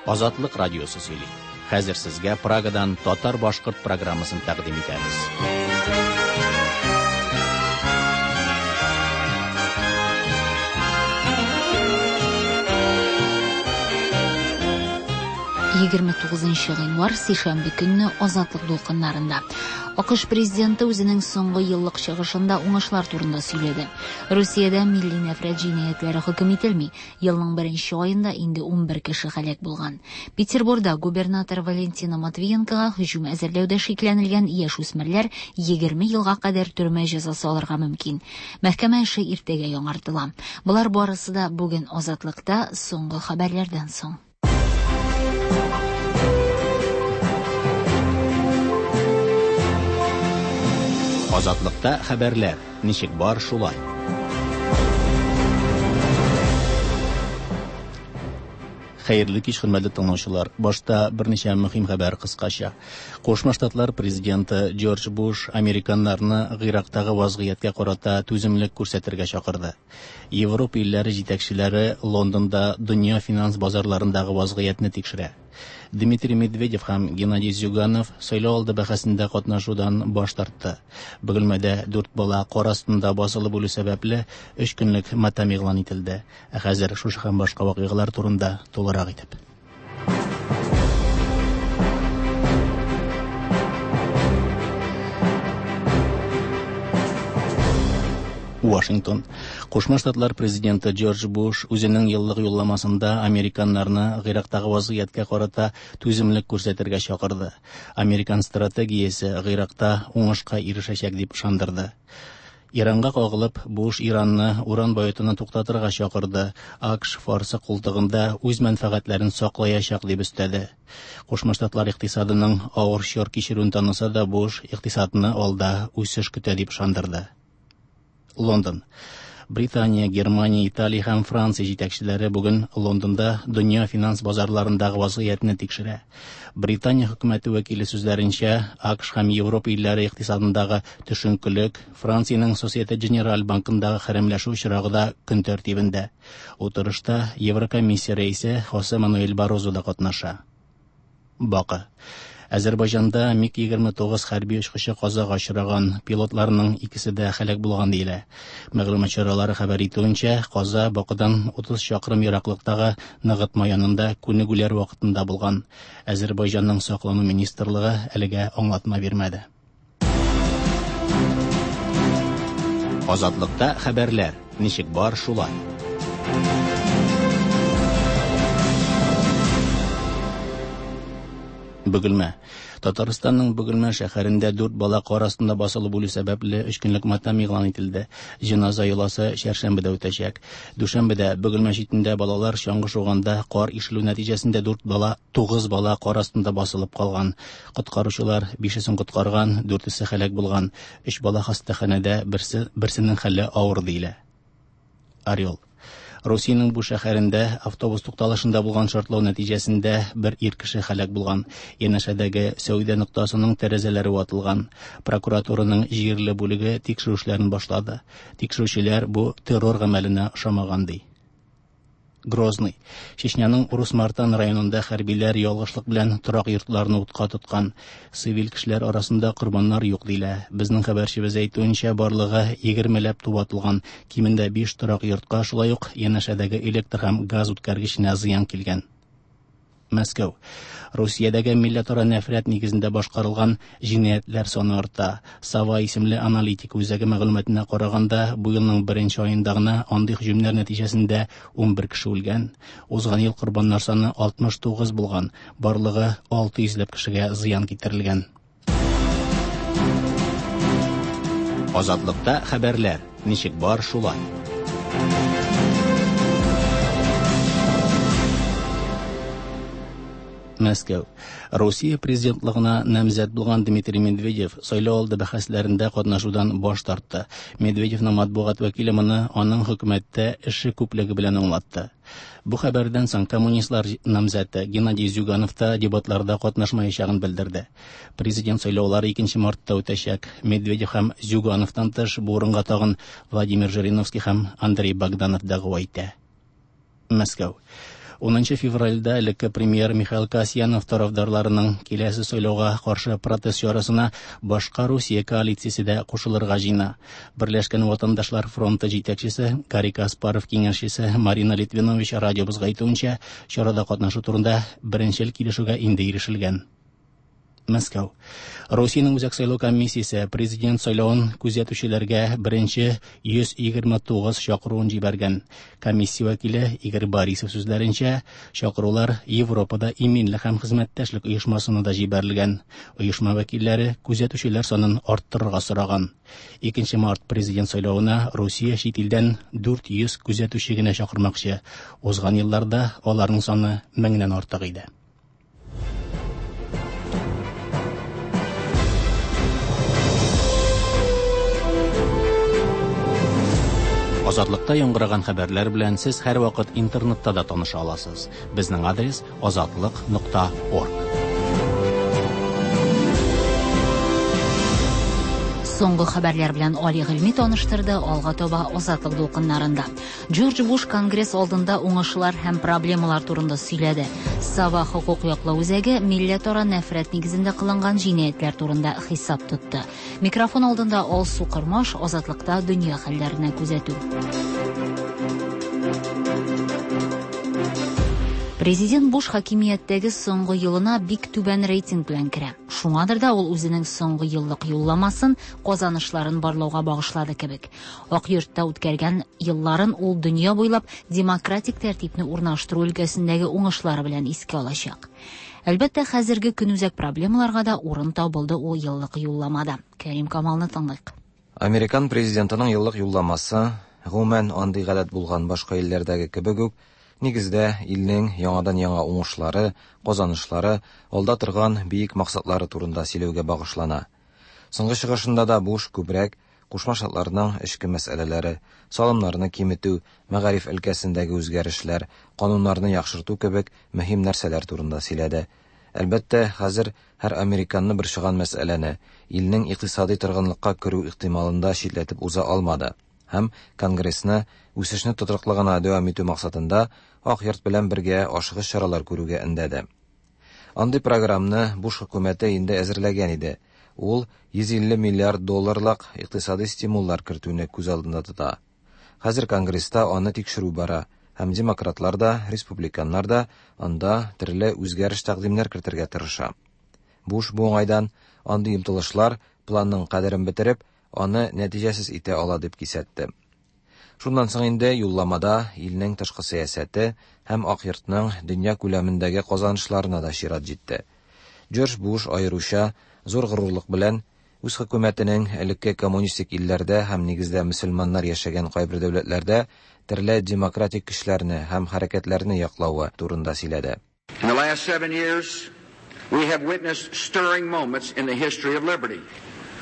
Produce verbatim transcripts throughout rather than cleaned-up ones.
Азатлык радиосы сөйли. Хәзер сезгә Прагадан татар-башкорт программасын тәкъдим итәбез. егерме тугызынчы гыйнвар сишәмбе көнне Азатлык дулкыннарында. АКШ президенты үзенең соңгы еллык чыгышында уңышлар турында сөйләде. Русиядә милли нәфрәт җинаятьләре хөкем ителми. Елның беренче аенда инде унбер кеше һәлак булган. Петербургда губернатор Валентина Матвиенкога һөҗүм әзерләүдә шикләнелгән яшүсмерләр егерме елга кадәр төрмә җәзасы алырга мөмкин. Мәхкәмә эше иртәгә яңартыла. Болар барысы да бүген Азатлыкта соңгы хәбәрләрдән соң. Азатлыкта хәбәрләр ничек бар шулай. Хәерле кич, хөрмәтле тыңлаучылар. Башта берничә мөһим хәбәр кыскача. Кушма Штатлар президенты Джордж Буш американнарны Гыйрактагы вазгыятькә карата түземлек күрсәтергә чакырды. Европа илләре җитәкчеләре Лондонда дөнья финанс базарларындагы вазгыятьне тикшерә. Дмитрий Медведев һәм Геннадий Зюганов сайлау алды бәхәсендә катнашудан баш тартты. Бөгелмәдә дүрт бала кар астында басылып үлү сәбәпле өч көнлек матәм игълан ителде. Ә хәзер шушы һәм башка вакыйгалар турында тулырак итеп. Вашингтон. Кушма Штатлар президенты Джордж Буш үзенең еллык юлламасында американнарны Гыйрактагы вазгыятькә карата түземлек күрсәтергә чакырды. Американ стратегиясе Гыйракта уңышка ирешәчәк дип ышандырды. Иранга кагылып, Буш Иранны уран баетуны туктатырга чакырды. АКШ Фарсы култыгында үз мәнфәгатьләрен саклаячак дип өстәде. Кушма Штатлар икътисадының авыр чор кичерүен таныса да, Буш икътисадны алда үсеш көтә дип ышандырды. Лондон. Британия, Германия, Италия һәм Франция җитәкчеләре бүген Лондонда дөнья финанс базарларындагы вазгыятьне тикшерә. Британия хөкүмәте вәкиле сүзләренчә, АКШ һәм Европа илләре икътисадындагы төшенкелек, Франциянең Societe Generale банкындагы хәрәмләшү очрагы да көн тәртибендә. Утырышта Еврокомиссия рәисе Хосе Мануэль Баррозо да катнаша. Бакы. Азербайҗанда МиГ егерме тугыз хәрби очкычы казага очраган, пилотларның икесе дә һәлак булган диелә. Мәгълүмат чаралары хәбәр итүенчә, каза Бакыдан утыз чакрым ераклыктагы ныгытма янында күнегүләр вакытында булган. Азербайҗанның саклану министрлыгы әлегә аңлатма бирмәде. Азатлыкта хәбәрләр ничек бар шулай. Бөгелмә. Татарстанның Бөгелмә шәһәрендә дүрт бала кар астында басылып үлү сәбәпле өч көнлек матәм игълан ителде. Җеназа йоласы чәршәмбедә үтәчәк. Дүшәмбедә Бөгелмә читендә балалар чаңгы шуганда кар ишелү нәтиҗәсендә дүрт бала, тугыз бала кар астында басылып калган. Коткаручылар бишесен коткарган, дүртесе һәлак булган. Өч бала хастаханәдә, берсе, берсенең хәле авыр диелә. Орел. Русиянең бу шәһәрендә автобус тукталышында булган шартлау нәтиҗәсендә бер ир кеше һәлак булган. Янәшәдәге сәүдә ноктасының тәрәзәләре ватылган. Прокуратураның җирле бүлеге тикшерү эшләрен башлады. Тикшерүчеләр бу террор гамәленә ошамаган ди. Грозный. Чечняның Урус-Мартан районында хәрбиләр ялгышлык белән торак йортларны утка тоткан. Цивиль кешеләр арасында корбаннар юк диелә. Безнең хәбәрчебез әйтүенчә, барлыгы егермеләп туп атылган. Кимендә биш торак йортка, шулай ук янәшәдәге электр һәм газ үткәргеченә зыян килгән. Мәскәү. Русиядәге милләтара нәфрәт нигезендә башкарылган җинаятьләр саны арта. Сава исемле аналитик үзәге мәгълүматына караганда, бу елның беренче аенда гына андый һөҗүмнәр нәтиҗәсендә унбер кеше үлгән. Узган ел корбаннар саны алтмыш тугыз булган. Барлыгы алты йөзләп кешегә зыян китерелгән. Азатлыкта хәбәрләр ничек бар шулай. Мәскәү. Русия президентлыгына намзәт булган Дмитрий Медведев сайлау алды бәхәсләрендә катнашудан баш тартты. Медведевның матбугат вәкиле моны аның хөкүмәттә эше күплеге белән аңлатты. Бу хәбәрдән соң коммунистлар намзәте Геннадий Зюганов та дебатларда катнашмаячагын белдерде. Президент сайлаулары икенче мартта үтәчәк. Медведев һәм Зюгановтан тыш бу урынга тагын Владимир Жириновский һәм Андрей Богданов дәгъва итә. Мәскәү. Унынчы февральдә элекке премьер Михаил Касьянов тарафдарларының киләсе сайлауга каршы протест чарасына башка Русия коалициясе дә кушылырга җыена. Берләшкән ватандашлар фронты җитәкчесе Гарри Каспаров киңәшчесе Марина Литвинович радиобызга әйтүенчә, чарада катнашу турында беренчел килешүгә инде ирешелгән. Мәскәү. Русиянең Үзәк сайлау комиссиясе президент сайлавын күзәтүчеләргә беренче йөз егерме тугыз чакыруын җибәргән. Комиссия вәкиле Игорь Борисов сүзләренчә, чакырулар Европада иминлек һәм хезмәттәшлек оешмасына да җибәрелгән. Оешма вәкилләре күзәтүчеләр санын арттырырга сораган. Икенче март президент сайлавына Русия чит илдән дүрт йөз күзәтүче генә чакырмакчы. Узган елларда аларның саны меңнән артык иде. Азатлыкта яңгыраган хәбәрләр белән сез һәрвакыт интернетта да таныша аласыз. Безнең адрес азатлык нокта орг. Соңгы хәбәрләр белән Али Гыйльми таныштырды, алга таба Азатлык дулкыннарында. Джордж Буш Конгресс алдында уңышлар һәм проблемалар турында сөйләде. Сава хокук яклау үзәге милләтара нәфрәт нигезендә кылынган җинаятьләр турында хисап тотты. Микрофон алдында Алсу Кырмаш, Азатлыкта дөнья хәлләренә күзәтү. Президент Буш хакимияттәге соңгы елына бик түбән рейтинг белән керә. Шуңадыр да ул үзенең соңгы еллык юлламасын казанышларын барлауга багышлады кебек. Ак йортта үткәргән елларын ул дөнья буйлап демократик тәртипне урнаштыру өлкәсендәге уңышлары белән искә алачак. Әлбәттә, хәзерге көнүзәк проблемаларга да урын табылды ул еллык юлламада. Кәрим Камалны тыңлыйк. Американ президентының еллык юлламасы, гомумән андый гадәт булган башка илләрдәге кебек үк, нигездә илнең яңадан яңа уңышлары, казанышлары, алда торган бөек максатлары турында сөйләүгә багышлана. Соңгы чыгышында да Буш күбрәк Кушма Штатларның эчке мәсьәләләре, салымнарны киметү, мәгариф өлкәсендәге үзгәрешләр, кануннарны яхшырту кебек мөһим нәрсәләр турында сөйләде. Әлбәттә, хәзер һәр американны борчыган мәсьәләне илнең икътисади торгынлыкка керү ихтималында читләтеп уза алмады. Һәм Конгрессны үсешне тотрыклы гына дәвам итү максатында Ак йорт белән бергә ашыгыч чаралар күрүгә өндәде. Андый программаны Буш хөкүмәте инде әзерләгән иде. Ул йөз илле миллиард долларлык икътисади стимуллар кертүне күз алдында тота. Хәзер Конгресста аны тикшерү бара, һәм демократлар да, республиканнар да анда төрле үзгәреш тәкъдимнәр кертергә тырыша. Буш бу уңайдан андый омтылышлар планның кадерен бетереп, аны нәтиҗәсез итә ала дип кисәтте. Шуннан соң инде юлламада илнең тышкы сәясәте һәм Ак йортның дөнья күләмендәге казанышларына да чират җитте. Джордж Буш аеруча зур горурлык белән үз хөкүмәтенең элекке коммунистик илләрдә һәм нигездә мөселманнар яшәгән кайбер дәүләтләрдә төрле демократик көчләрне һәм хәрәкәтләрне яклавы турында сөйләде. In the last seven years, we have witnessed stirring moments in the history of liberty.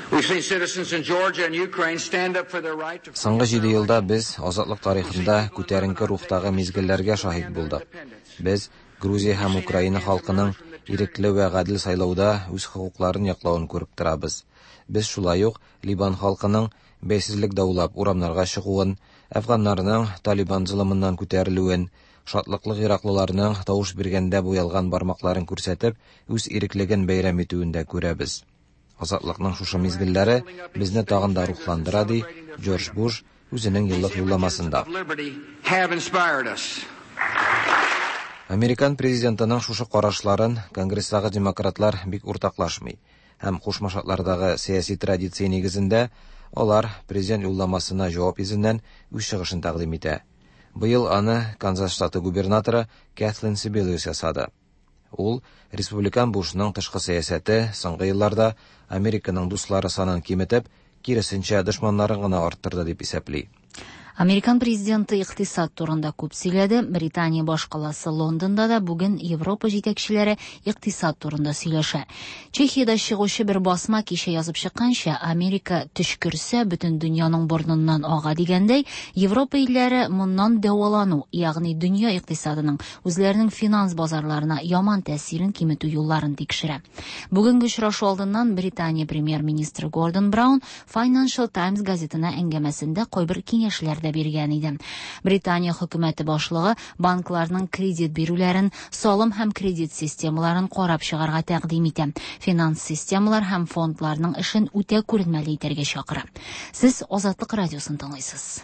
We've seen citizens in Georgia and Ukraine stand up for their right to Соңгы җиде елда без азатлык тарихында күтәренке рухтагы мизгелләргә шаһит булдык. Без Грузия һәм Украина халкының ирекле вә гадел сайлауда үз хокукларын яклавын күреп торабыз. Без шулай ук Либан халкының бәйсезлек даулап урамнарга чыгуын, әфганнарның Талибан золымыннан күтәрелүен, шатлыклы гыйраклыларның тавыш биргәндә буялган бармакларын күрсәтеп, үз иреклеген бәйрәм итүен дә күрәбез. Азатлыкның шушы мизгелләре безне тагын да рухландыра, ди Джордж Буш үзенең еллык юлламасында. Американ президентының шушы карашларын Конгресстагы демократлар бик уртаклашмый һәм Кушма Штатлардагы сәяси традиция нигезендә алар президент юлламасына җавап йөзеннән үз чыгышын тәкъдим итә. Быел аны Канзас штаты губернаторы Кэтлин Сибелиус ясады. Ул республикан Бушның тышкы сәясәте соңгы елларда Американың дуслары санын киметеп, киресенчә дошманнарын гына арттырды дип исәпли. Американ президенты икътисад турында күп сөйләде. Британия башкаласы Лондонда да бүген Европа җитәкчеләре икътисад турында сөйләшә. Чехиядә чыгучы бер басма кичә язып чыкканча, Америка төчкерсә, бөтен дөньяның борныннан ага дигәндәй, Европа илләре моннан дәвалану, ягъни дөнья икътисадының үзләренең финанс базарларына яман тәэсирен киметү юлларын тикшерә. Бүгенге очрашу алдыннан Британия премьер-министры Гордон Браун Financial Times газетына әңгәмәсендә кайбер киңәшләр вәгъдә биргән иде. Британия хөкүмәте башлыгы банкларның кредит бирүләрен, салым һәм кредит системаларын карап чыгарга тәкъдим итә. Финанс системалар һәм фондларның эшен үтә күренмәле итәргә чакыра. Сез Азатлык радиосын тыңлыйсыз.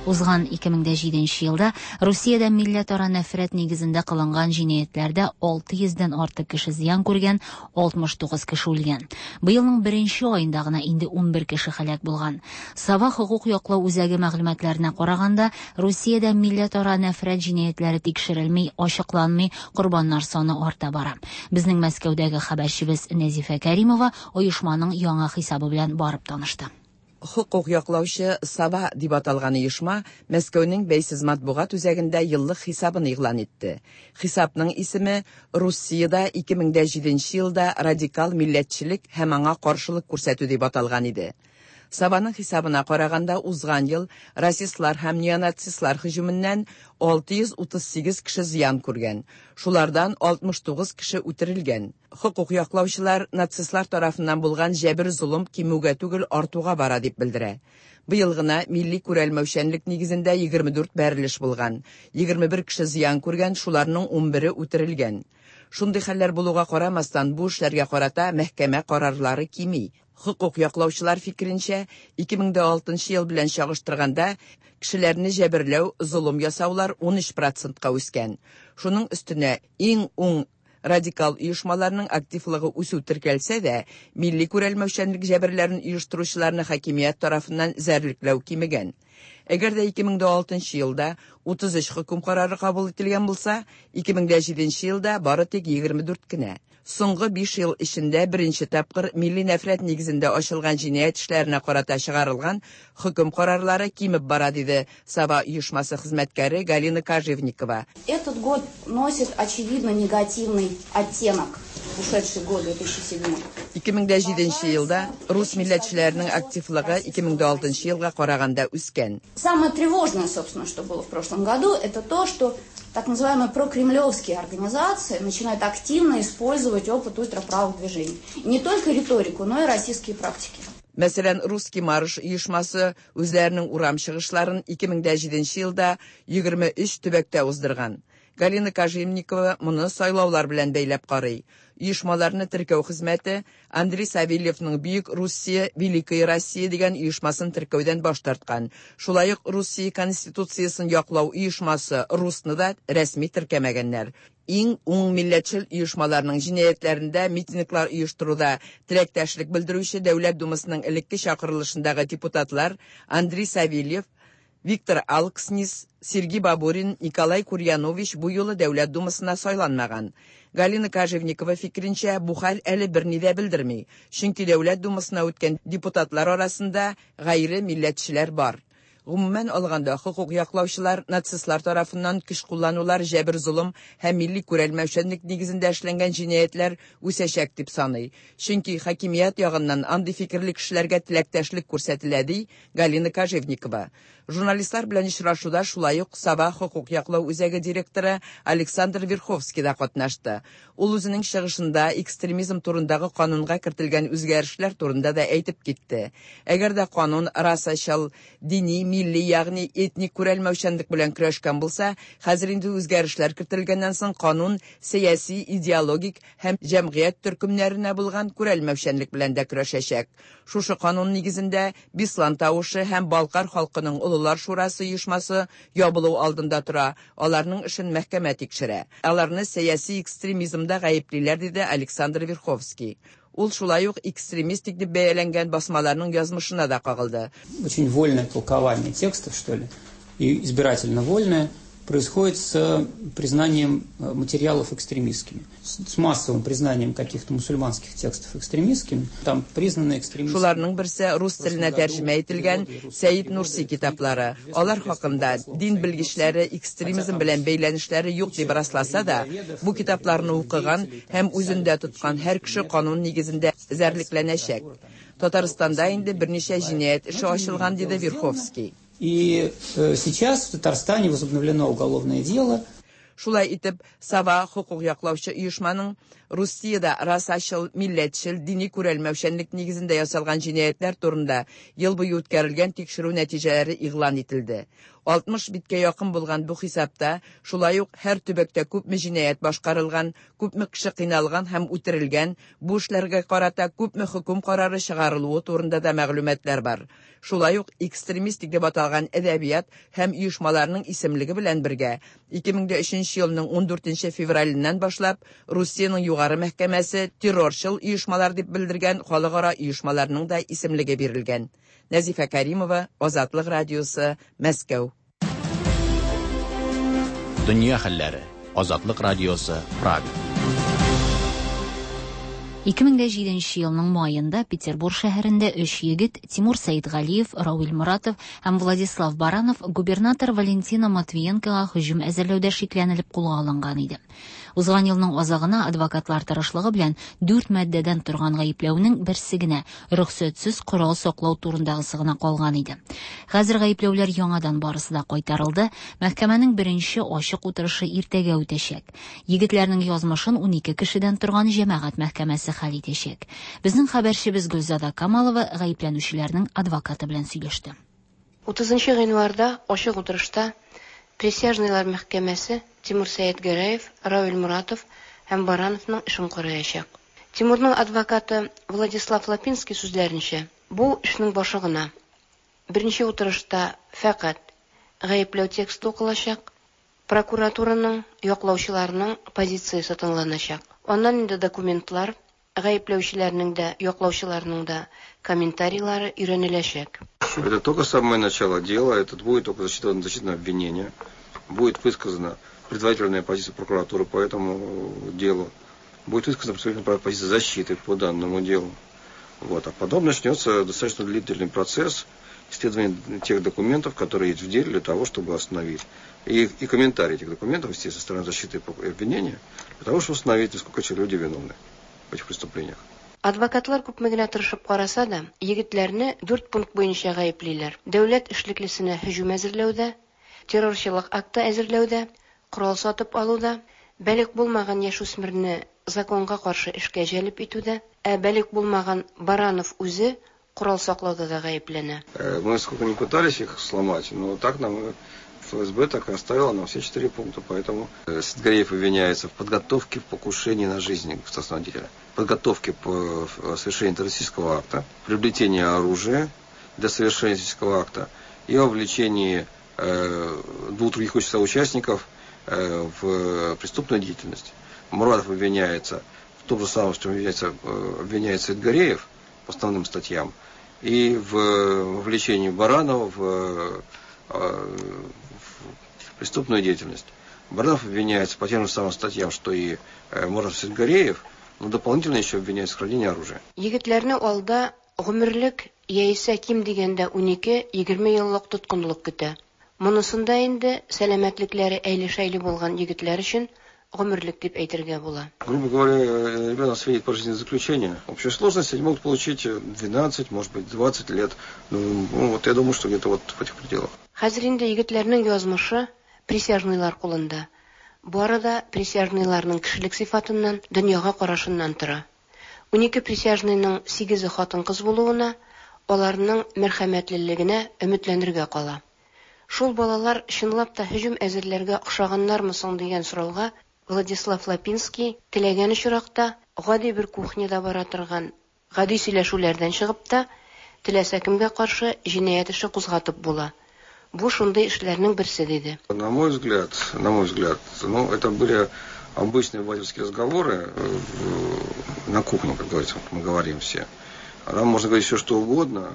Узган ике мең дә җиденче елда Русиядә милләтара нәфрәт нигезендә кылынган җинаятьләрдә алты йөздән артык кеше зыян күргән, алтмыш тугыз кеше үлгән. Быелның беренче аенда гына инде унбер кеше һәлак булган. Сава хукук яклау үзәге мәгълүматларына караганда, Русиядә милләтара нәфрәт җинаятьләре тикшерелми, ачыкланмый, корбаннар саны арта бара. Безнең Мәскәүдәге хәбәрчебез Нәзифә Кәримова оешманың яңа хисабы белән барып танышты. Хукук яклаучы Сава дип аталган оешма Мәскәүнең бәйсез матбугат үзәгендә еллык хисабын игълан итте. Хисапның исеме Русиядә ике мең дә җиденче елда радикал милләтчелек һәм аңа каршылык күрсәтү дип аталган иде. Саваның хисабына караганда узган ел расистлар һәм неонацистлар һөҗүменнән алты йөз утыз сигез кеше зыян күргән. Шулардан алтмыш тугыз кеше үтерелгән. Хукук яклаучылар нацистлар тарафыннан булган җәбер золым кимүгә түгел артуга бара дип белдерә. Быел гына милли күрәлмәүчәнлек нигезендә егерме дүрт бәрелеш булган. Егерме бер кеше зыян күргән, шуларның унбере үтерелгән. Шундый хәлләр булуга карамастан, бу эшләргә карата мәхкәмә карарлары кими. Хукук яклаучылар фикеренчә, ике мең дә алтынчы ел белән чагыштырганда кешеләрне җәберләү, золым ясаулар ун өч процентка үскән. Шуның өстенә иң уң радикал оешмаларның активлыгы үсү теркәлсә дә, милли күрәлмәүчәнлек җәберләрен оештыручыларны хакимият тарафыннан зәрлекләү кимегән. Әгәр дә ике мең дә алтынчы елда утыз өч хөкем карары кабул ителгән булса, ике мең дә җиденче елда бары тик егерме дүрт кенә. Соңгы биш ел эчендә беренче тапкыр милли нәфрәт нигезендә ачылган җинаять эшләренә карата чыгарылган хөкем карарлары кимеп бара, диде Сава оешмасы хезмәткәре Галина Кожевникова. Этот год носит очевидно негативный оттенок. Ушедший год две тысячи седьмой. Ике мең дә җиденче елда рус милләтчеләренең активлыгы ике мең дә алтынчы елга караганда үскән. Самое тревожное, собственно, что было в прошлом году, это то, что так называемые прокремлевские организации начинают активно использовать опыт ультраправых движений. И не только риторику, но и российские практики. Мәсәлән, Русский марш оешмасы үзләренең урам чыгышларын ике мең дә җиденче елда егерме өч төбәктә уздырган. Галина Кожевникова моны сайлаулар белән бәйләп карый. Оешмаларны теркәү хезмәте Андрей Савельевның Бөек Русия, Великая Россия дигән оешмасын теркәүдән баш тарткан. Шулай ук Русия Конституциясын яклау оешмасы Русны да рәсми теркәмәгәннәр. Иң уң милләтчел оешмаларның җинаятьләрендә митинглар оештыруда теләктәшлек белдерүче Дәүләт Думасының элекке чакырылышындагы депутатлар Андрей Савельев, Виктор Алкснис, Сергей Бабурин, Николай Курьянович бу юлы Дәүләт Думасына сайланмаган. Галина Кожевникова фикеренчә, бу хәл әле берни дә белдерми, чөнки Дәүләт Думасына үткән депутатлар арасында гайре милләтчеләр бар. Гомумән алганда, хукук яклаучылар нацистлар тарафыннан көч кулланулар, җәбер золым һәм милли күрәлмәүчәнлек нигезендә эшләнгән җинаятьләр үсәчәк дип саный. Чөнки хакимият ягыннан андый фикерле кешеләргә теләктәшлек күрсәтелә, ди Галина Кожевникова. Журналистлар белән очрашуда шулай ук Сава хукук яклау үзәге директоры Александр Верховский да катнашты. Ул үзенең чыгышында экстремизм турындагы канунга кертелгән үзгәрешләр турында да әйтеп китте. Әгәр дә канун расачыл, дини, милли, ягъни этник күрәлмәүчәнлек белән көрәшкән булса, хәзер инде үзгәрешләр кертелгәннән соң канун сәяси, идеологик һәм җәмгыять төркемнәренә булган күрәлмәүчәнлек белән дә көрәшәчәк. Шушы канун нигезендә Бислан тавышы һәм Балкар халкының Олылар шурасы оешмасы ябылу алдында тора. Аларның эшен мәхкәмә тикшерә. Аларны сәяси экстремизмда гаеплиләр, диде Александр Верховский. Ул шулай ук экстремистик дип бәяләнгән басмаларның язмышына да кагылды. Очень вольное толкование текстов, что ли, и избирательно вольное, происходит с признанием материалов экстремистскими, с массовым признанием каких-то мусульманских текстов экстремистскими. Там признаны экстремистскими. Шуларның берсе рус теленә тәрҗемә ителгән Сәид Нурси китаплары. Алар хакында дин белгечләре экстремизм белән бәйләнешләре юк дип расласа да, бу китапларны укыган һәм үзендә тоткан һәр кеше канун нигезендә эзәрлекләнәчәк. Татарстанда инде берничә җинаять эше ачылган, диде Верховский. И сейчас в Татарстане возобновлено уголовное дело. Шулай итеп, Сова хокук яклаучы оешманың Русиядә расачыл, милләтчел, дини күрәлмәүчәнлек нигезендә ясалган җинаятьләр турында ел буе үткәрелгән тикшерү нәтиҗәләре игълан ителде. алтмыш биткә якын булган бу хисапта шулай ук һәр төбәктә күпме җинаять башкарылган, күпме кеше кыйналган һәм үтерелгән, бу эшләргә карата күпме хөкем карары чыгарылуы турында да мәгълүматлар бар. Шулай ук экстремистик дип аталган әдәбият һәм оешмаларның исемлеге белән бергә ике мең өченче елның ундүртенче февраленнән башлап Русиянең югары мәхкәмәсе террорчыл оешмалар дип белдергән халыкара оешмаларның да исемлеге бирелгән. Нәзифә Каримова, Азатлык радиосы, Мәскәү. Дөнья хәлләре. Азатлык радиосы, Прага. ике мең җиденче елның маенда Петербург шәһәрендә өч егет Тимур Сәидгалиев, Равил Муратов һәм Владислав Баранов губернатор Валентина Матвиенкога һөҗүм әзерләүдә шикләнелеп кулга алынган иде. Узган елның азагына адвокатлар тырышлыгы белән дүрт маддәдән торган гаепләүнең берсе генә рөхсәтсез корал саклау турындагысы гына калган иде. Хәзер гаепләүләр яңадан барысы да кайтарылды. Мәхкәмәнең беренче ачык утырышы иртәгә үтәчәк. Егетләрнең язмышын унике кешедән торган җәмәгать мәхкәмәсе хәл итәчәк. Безнең хәбәрчебез Гөлзада Камалова гаепләнүчеләрнең адвокаты белән сөйләште. Утызынчы гыйнварда ачык утырышта Присяжныйлар мәхкәмәсе Тимур Сәетгәрәев, Равил Муратов һәм Барановның эшен караячак. Тимурның адвокаты Владислав Лапинский сүзләренчә, бу эшнең башы гына. Беренче утырышта фәкать гаепләү тексты укылачак, прокуратураның, яклаучыларның позициясе тыңланачак. Аннан инде документлар, гаепләүчеләрнең дә, яклаучыларның да комментарийлары өйрәнеләчәк. Это только самое начало дела, это будет только зачитано, зачитано обвинение, будет высказана предварительная позиция прокуратуры по этому делу, будет высказана предварительная позиция защиты по данному делу. Вот. А потом начнется достаточно длительный процесс исследования тех документов, которые есть в деле, для того, чтобы остановить. И, и комментарии этих документов, естественно, со стороны защиты и обвинения, для того, чтобы установить, насколько эти люди виновны в этих преступлениях. Адвокатлар күпме генә тырышып караса да, егетләрне дүрт пункт буенча гаеплиләр. Дәүләт эшлеклесенә һөҗүм әзерләүдә, террорчылык акты әзерләүдә, корал сатып алуда, балигъ булмаган яшүсмерне законга каршы эшкә җәлеп итүдә, ә балигъ булмаган Баранов үзе корал саклауда да гаепләнә. Мы сколько ни пытались их сломать, но так нам ФСБ так и оставила нам все четыре пункта, поэтому Саидгареев обвиняется в подготовке в покушении на жизнь государственного деятеля, подготовке по совершению террористического акта, приобретении оружия для совершения террористического акта и вовлечении э, двух других соучастников э, в преступную деятельность. Муратов обвиняется в том же самом, что обвиняется, обвиняется Саидгареев по основным статьям, и в вовлечении Баранова в, в преступную деятельность. Баранов обвиняется по тем же самым статьям, что и Муратов Саидгареев, но дополнительно еще обвиняется в хранении оружия. Егетләрне алда гомерлек яисә ким дигәндә унике-егерме еллык тоткынлык көтә. Монысында инде сәламәтлекләре әйле-шәйле булган егетләр өчен гомерлек дип әйтергә була. Грубо говоря, ребята светит пожизненное заключение. В общей сложности они могут получить двенадцать, может быть, двадцать лет. Ну, вот я думаю, что где-то вот в этих пределах. Хәзер инде егетләрнең язмышы присяжныйлар кулында. Бары да присяжныйларның кешелек сыйфатыннан, дөньяга карашыннан тора. Унике присяжныйның сигезе хатын-кыз булуына, аларның мәрхәмәтлелегенә өметләнергә кала. Шул балалар чынлап та һөҗүм әзерләргә охшаганнармы соң дигән сорауга Владислав Лапинский теләгән очракта гади бер кухняда бара торган гади сөйләшүләрдән чыгып та теләсә кемгә каршы җинаять эше кузгатып була. Бу шундый эшләрнең берсе, диде. На мой взгляд, на мой взгляд, ну, это были обычные обывательские разговоры на кухне, как говорится, мы говорим все. А там можно говорить все, что угодно.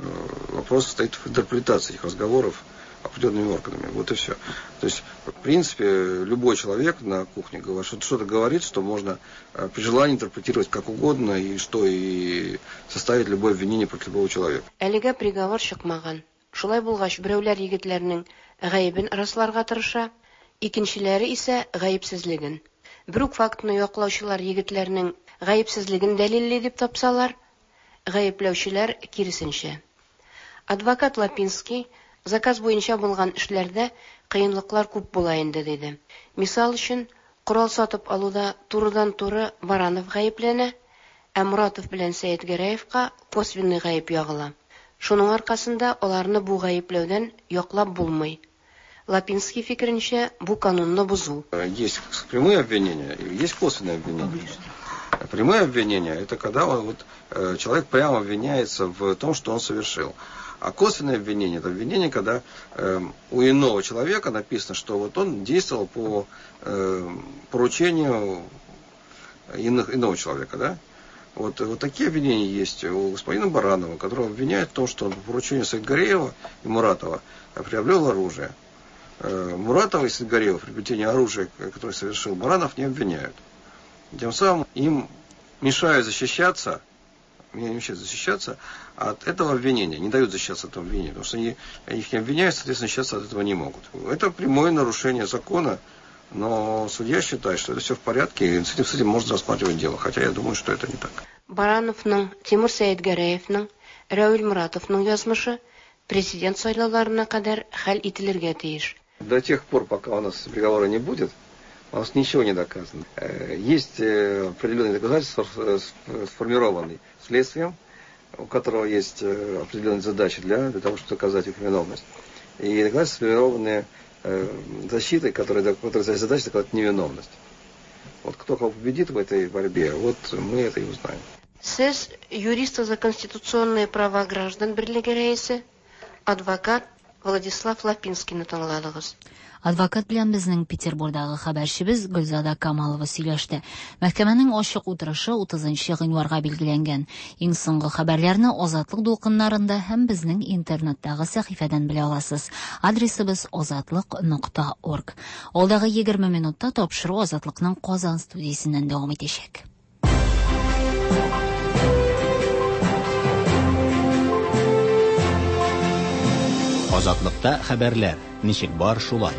Вопрос стоит в интерпретации этих разговоров определенными органами. Вот и все. То есть, в принципе, любой человек на кухне говорит, что-то говорит, что можно при желании интерпретировать как угодно, и что и составить любое обвинение против любого человека. Әлегә приговор чыкмаган. Шулай булгач, берәүләр егетләрнең гаебен расларга тырыша, икенчеләре исә гаепсезлеген. Бер үк фактны яклаучылар егетләрнең гаепсезлеген дәлилли дип тапсалар, гаепләүчеләр киресенчә. Адвокат Лапинский Заказ буенча булган эшләрдә кыенлыклар күп була инде, диде. Мисал өчен, корал сатып алуда турыдан-туры Баранов гаепләнә, ә Муратов белән Сәетгәрәевка косвенный гаеп ягыла. Шуның аркасында аларны бу гаепләүдән яклап булмый. Лапинский фикеренчә, бу канунны бозу. Есть прямые обвинения и есть косвенные обвинения. Прямые обвинения – это когда он, вот, человек прямо обвиняется в том, что он совершил. А косвенное обвинение – это обвинение, когда э, у иного человека написано, что вот он действовал по э, поручению иных, иного человека. Да? Вот, вот такие обвинения есть у господина Баранова, которого обвиняют в том, что он по поручению Саидгареева и Муратова приобрел оружие. Э, Муратова и Саидгареева в приобретении оружия, которое совершил Баранов, не обвиняют. Тем самым им мешают защищаться, не мешают защищаться от этого обвинения, не дают защищаться от этого обвинения, потому что они их не обвиняют, соответственно, защищаться от этого не могут. Это прямое нарушение закона, но судья считает, что это все в порядке, и с этим, с этим можно рассматривать дело, хотя я думаю, что это не так. Барановның, Тимур Сәетгәрәевның, Равил Муратовның язмышы президент сайлауларына кадәр хәл ителергә тиеш. До тех пор, пока у нас приговора не будет, у нас ничего не доказано. Есть определенные доказательства, сформированные следствием, у которого есть определенные задачи для, для того, чтобы доказать их виновность. И доказательства, сформированные защитой, которая, которая задача доказать невиновность. Вот кто кого победит в этой борьбе, вот мы это и узнаем. Сез юристы за конституционные права граждан берлеге рәисе, адвокат Владислав Лапинскийны тыңладыгыз. Адвокат белән безнең Петербургдагы хәбәрчебез Гөлзада Камалова сөйләште. Мәхкәмәнең ачык утырышы утызынчы гыйнварга билгеләнгән. Иң соңгы хәбәрләрне Азатлык дулкыннарында һәм безнең интернеттагы сәхифәдән белә аласыз. Адресыбыз азатлык нокта орг. Алдагы егерме минутта тапшыру Азатлыкның Казан студиясеннән дәвам итәчәк. Азатлыкта хәбәрләр ничек бар шулай.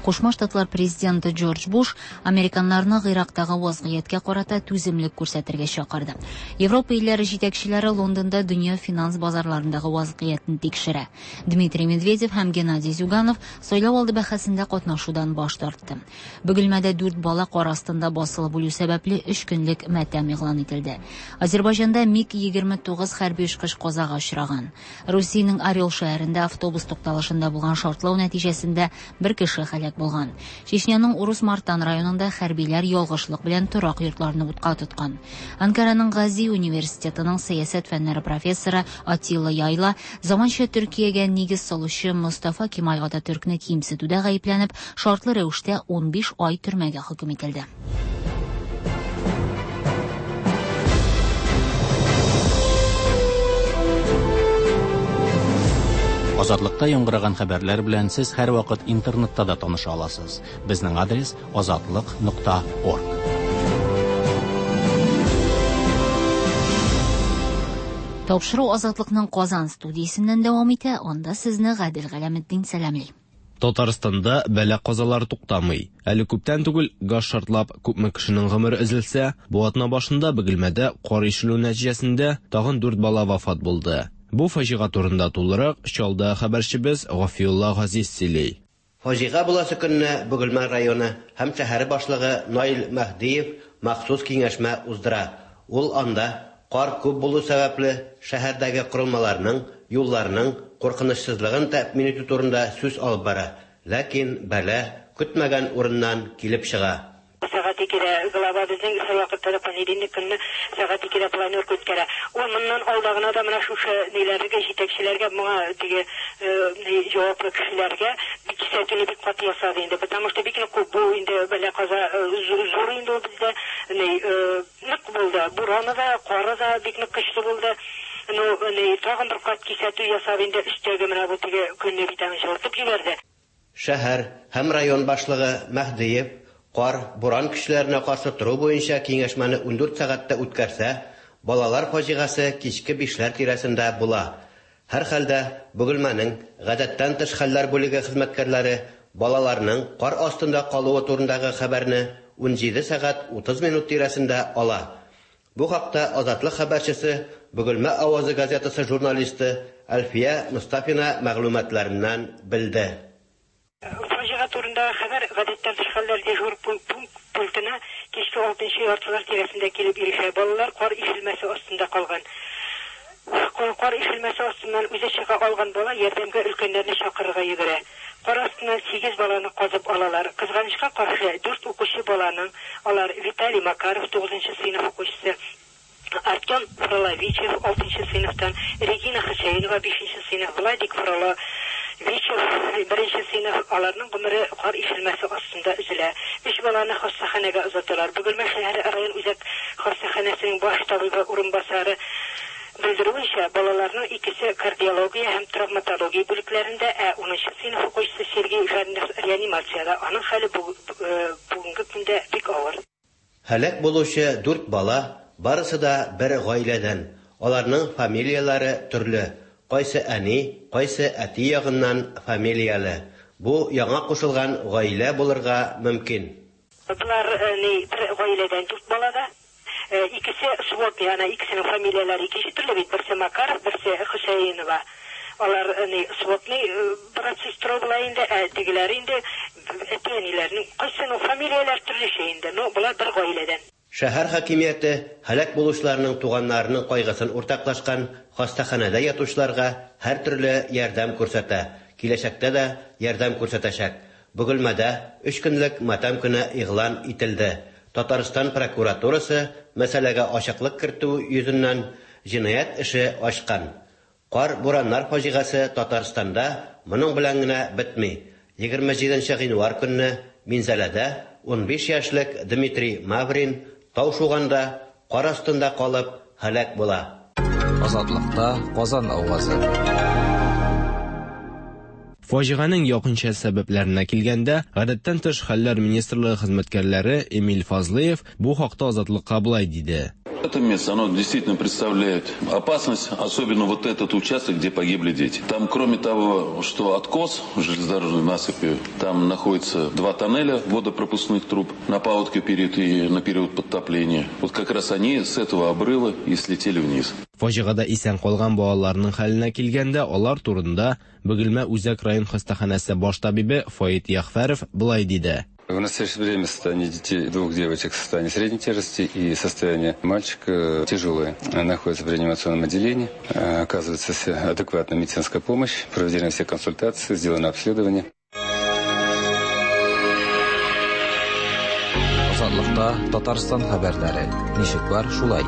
Кушма Штатлар президенты Джордж Буш американнарны Гыйрактагы вазгыятькә карата түземлек күрсәтергә чакырды. Европа илләре җитәкчеләре Лондонда дөнья финанс базарларындагы вазгыятьне тикшерә. Дмитрий Медведев һәм Геннадий Зюганов сайлау алды бәхәсендә катнашудан баш тартты. Бөгелмәдә дүрт бала кар астында басылып үлү сәбәпле өч көнлек матәм игълан ителде. Азербайҗанда МиГ егерме тугыз хәрби очкыч казага очраган. Русиянең Орел шәһәрендә автобус тукталышында булган шартлау нәтиҗәсендә бер кеше һәлак булган. Чечняның Урус-Мартан районында хәрбиләр ялгышлык белән торак йортларны утка тоткан. Анкараның Гази университетының сәясәт фәннәре профессоры Атилла Яйла заманча Төркиягә нигез салучы Мустафа Кемаль Ататүркне кимсетүдә гаепләнеп, шартлы рәвештә унбиш ай төрмәгә хөкем ителде. Азатлыкта яңгыраган хәбәрләр белән сез һәрвакыт интернетта да таныша аласыз. Безнең адрес азатлык нокта орг. Тапшыру Азатлыкның Казан студиясеннән дәвам итә. Анда сезне Гадел Галәметдин сәламли. Татарстанда бәла казалар туктамый. Әле күптән түгел газ шартлап күпме кешенең гомере өзелсә, бу атна башында Бөгелмәдә кар ишелү нәтиҗәсендә тагын дүрт бала вафат булды. Бу фаҗига турында тулырак Чалда хәбәрчебез Гафиулла Газиз сөйли. Фаҗига буласы көнне Бөгелмә районы һәм шәһәре башлыгы Наил Мәһдиев махсус киңәшмә уздыра. Ул анда кар күп булу сәбәпле шәһәрдәге корылмаларның, юлларның куркынычсызлыгын тәэмин итү турында сүз алып бара. Ләкин бәла көтмәгән урыннан килеп чыга. Сәгать икедә глава безнең һәрвакытта да понедельник көнне сәгать икедә планерка үткәрә. Ул моннан алда гына да менә шушы ниләргә, җитәкчеләргә, моңа теге җаваплы кешеләргә бик кисәтүне бик каты ясады инде, потому что бик нык күп бу инде бәла каза зур инде ул бездә, ни нык булды. Бураны да, кары да бик нык көчле булды. Ну, ни тагын бер кат кисәтү ясап инде өстәге менә бу теге көнне бит аны җылытып җибәрде. Шәһәр һәм район башлыгы Мәһдиев кар, буран көчләренә каршы тору буенча киңәшмәне ундүрт сәгатьтә үткәрсә, балалар фаҗигасе кичке бишләр тирәсендә була. Һәр хәлдә Бөгелмәнең гадәттән тыш хәлләр бүлеге хезмәткәрләре балаларның кар астында калуы турындагы хәбәрне унҗиде сәгать утыз минут тирәсендә ала. Бу хакта Азатлык хәбәрчесе Бөгелмә авазы газетасы журналисты Әлфия Мостафина мәгълүматларыннан белде. Фаҗига турындагы хәбәр гадәттән тыш хәлләр дежур пунктына кичке алтынчы яртылар тирәсендә килеп ирешә. Балалар кар ишелмәсе астында калган. Кар ишелмәсе астыннан үзе чыга алган бала ярдәмгә өлкәннәрне чакырырга йөгерә. Кар астыннан сигез баланы казып алалар. Кызганычка каршы, дүрт укучы баланың, алар Виталий Макаров, тугызынчы сыйныф укучысы, Артем Фроловичев, алтынчы сыйныфтан, Регина Хөсәенова, бишенче сыйныф, Владик Фроловичев, беренче сыйныф, аларның гомере кар ишелмәсе астында өзелә. Өч баланы хастаханәгә озаталар. Бөгелмә шәһәре район үзәк хастаханәсенең баш табибы урынбасары белдерүенчә, балаларның икесе кардиология һәм травматология бүлекләрендә, ә унынчы сыйныф укучысы Сергей Жаринов реанимациядә. Аның хәле бүгенге көндә бик авыр. Һәлак булучы дүрт бала барысы да бер гаиләдән. Аларның фамилияләре төрле. Кайсы әни, кайсы әти ягыннан фамилияле. Бу яңа кушылган гаилә булырга мөмкин. Болар ни бер гаиләдән дүрт бала да. Икесе сводный, ана икесенең фамилияләре икенче төрле бит. Берсе Макаров, берсе Хөсәенова. Алар ни сводный брат сестра була инде, ә тегеләре инде әти-әниләренең кайсының фамилияләре төрлечә инде, но болар бер гаиләдән. Шәһәр хакимияте һәлак булучыларның туганнарының кайгысын уртаклашкан, хастаханәдә ятучыларга һәр төрле ярдәм күрсәтә. Киләчәктә дә ярдәм күрсәтәчәк. Бөгелмәдә өч көнлек матәм көне игълан ителде. Татарстан прокуратурасы мәсьәләгә ачыклык кертү йөзеннән җинаять эше ачкан. Кар бураннар фаҗигасе Татарстанда моның белән генә бетми. Егерме җиденче гыйнвар көнне Минзәләдә унбиш яшьлек Дмитрий Маврин тау шуганда кар астында калып һәлак була. Азатлыкта Казан авазы. Фаҗиганең якынча сәбәпләренә килгәндә, гадәттән тыш хәлләр министрлыгы хезмәткәрләре Эмиль Фазлыев бу хакта Азатлыкка болай диде. Это место, оно действительно представляет опасность, особенно вот этот участок, где погибли дети. Там, кроме того, что откос железнодорожной насыпи, там находится два тоннеля водопропускных труб на паводке период и на период подтопления. Вот как раз они с этого обрыва и слетели вниз. Фаҗигада исән калган балаларның хәленә килгәндә, алар турында Бөгелмә үзәк район хастаханәсе баш табибы Фаит Яхфәров болай диде. В настоящее время состояние детей, двух девочек в состоянии средней тяжести и состояние мальчика тяжелое. Находится в реанимационном отделении, оказывается адекватная медицинская помощь, проведены все консультации, сделано обследование. Азатлыкта Татарстан хәбәрләре. Ничек бар, шулай.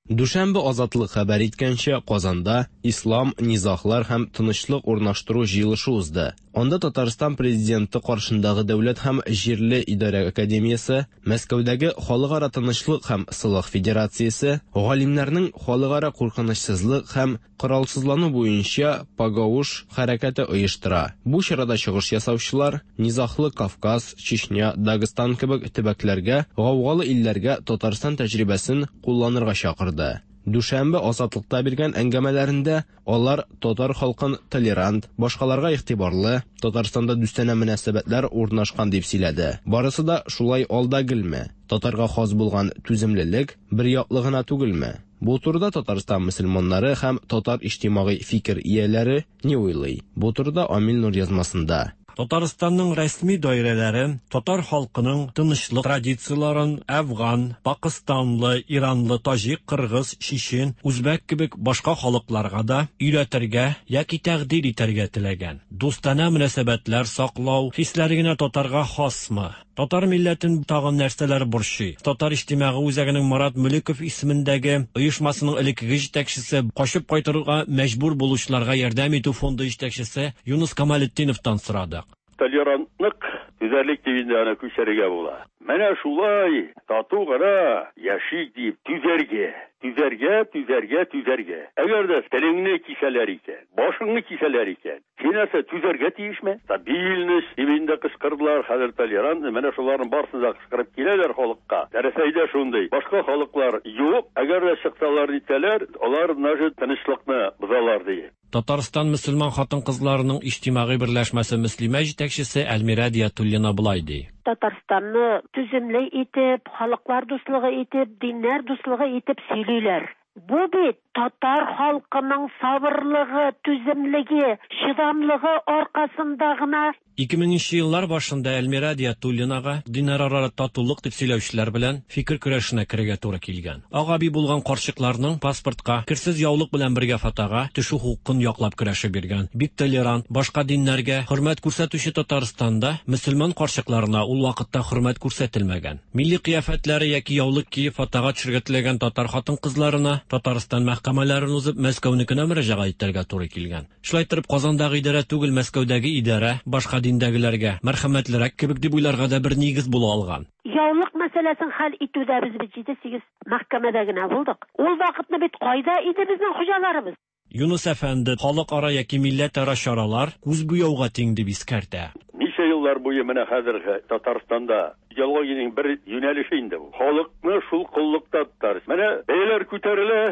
Дүшәмбе Азатлык хәбәр иткәнчә, Казанда Ислам, низаглар һәм тынычлык урнаштыру җыелышы узды. Анда Татарстан президенты каршындагы Дәүләт һәм җирле идарә академиясе, Мәскәүдәге Халыкара тынычлык һәм сылык федерациясе, галимнәрнең халыкара куркынычсызлык һәм коралсызлану буенча Пагауш хәрәкәте оештыра. Бу чарада чыгыш ясаучылар низаглы Кавказ, Чечня, Дагыстан кебек төбәкләргә, гаугалы илләргә Татарстан тәҗрибәсен кулланырга чакырды. Дүшәмбе Азатлыкта биргән әңгәмәләрендә алар татар халкын толерант, башкаларга игътибарлы, Татарстанда дустанә мөнәсәбәтләр урнашкан дип сөйләде. Барысы да шулай алда гелме? Татарга хас булган түземлелек бер яклы гына түгелме? Бу турыда Татарстан мөселманнары һәм татар иҗтимагый фикер ияләре ни уйлый? Бу турыда Амил Нур язмасында. Татарстанның рәсми даирәләре татар халкының тынычлык традицияларын Афган, Пакистанлы, Иранлы, таҗик, кыргыз, чечен, үзбәк кебек башка халыкларга да өйрәтергә яки тәкъдир итәргә теләгән. Дустанә мөнәсәбәтләр саклау хисләре генә татарга хасмы? Татар милләтен тагын нәрсәләр борчый? Татар иҗтимагый үзәгенең Марат Мөлеков исемендәге оешмасының элеккеге җитәкчесе, качып кайтырга мәҗбүр булучыларга ярдәм итү фонды җитәкчесе Юнус Камалетдиновтан сорадык. Толерантлык, түзәрлек дигәндә аны күчәргә була. Менә шулай тату гына яшик дип түзәргә, түзәргә, түзәргә, түзәргә. Әгәр дә телеңне кисәләр икән, башыңны кисәләр икән, Син нәрсә, түзәргә тиешме? Стабильность дип инде кычкырдылар, хәзер толерантный, менә шуларның барысын да кычкырып киләләр халыкка. Рәсәйдә шундый. Башка халыклар юк, әгәр дә чыксалар нитәләр, алар даже тынычлыкны бозалар ди. Татарстан мөселман хатын-кызларының иҗтимагый берләшмәсе Мөслимә җитәкчесе Әлмирә Диятуллина болай ди. Татарстанны түземле итеп, халыклар дуслыгы итеп, диннәр дуслыгы итеп сөйлиләр. Бу бит татар халкының сабырлыгы, түземлеге, чыдамлыгы аркасында гына. Ике меңенче еллар башында Әлмирә Диятуллинага диннәрара татулык дип сөйләүчеләр белән фикер көрәшенә керергә туры килгән. Ак әби булган карчыкларның паспортка, керсез яулык белән бергә фотога төшү хокукын яклап көрәше биргән. Бик толерант, башка диннәргә хөрмәт күрсәтүче Татарстанда мөселман карчыкларына ул вакытта хөрмәт күрсәтелмәгән. Милли кыяфәтләре яки яулык киеп фотога төшергә теләгән татар хатын-кызларына Татарстан мәхкәмәләрен узып Мәскәүнекенә мөрәҗәгать итәргә туры килгән. Шулай торып Казандагы идарә түгел, Мәскәүдәге идарә башка диндәгеләргә мәрхәмәтлерәк кебек дип уйларга да бер нигез була алган. Яулык мәсьәләсен хәл итүдә без бит җиде-сигез мәхкәмәдә генә булдык. Ул вакытны бит кайда иде безнең хуҗаларыбыз? Юнус әфәнде халыкара яки милләтара чаралар күз буяуга тиң дип искәртә. Ничә еллар буе менә хәзерге Татарстанда идеологиянең бер юнәлеше инде бу. Халыкны шул коллыкта тотар. Менә бәяләр күтәрелә,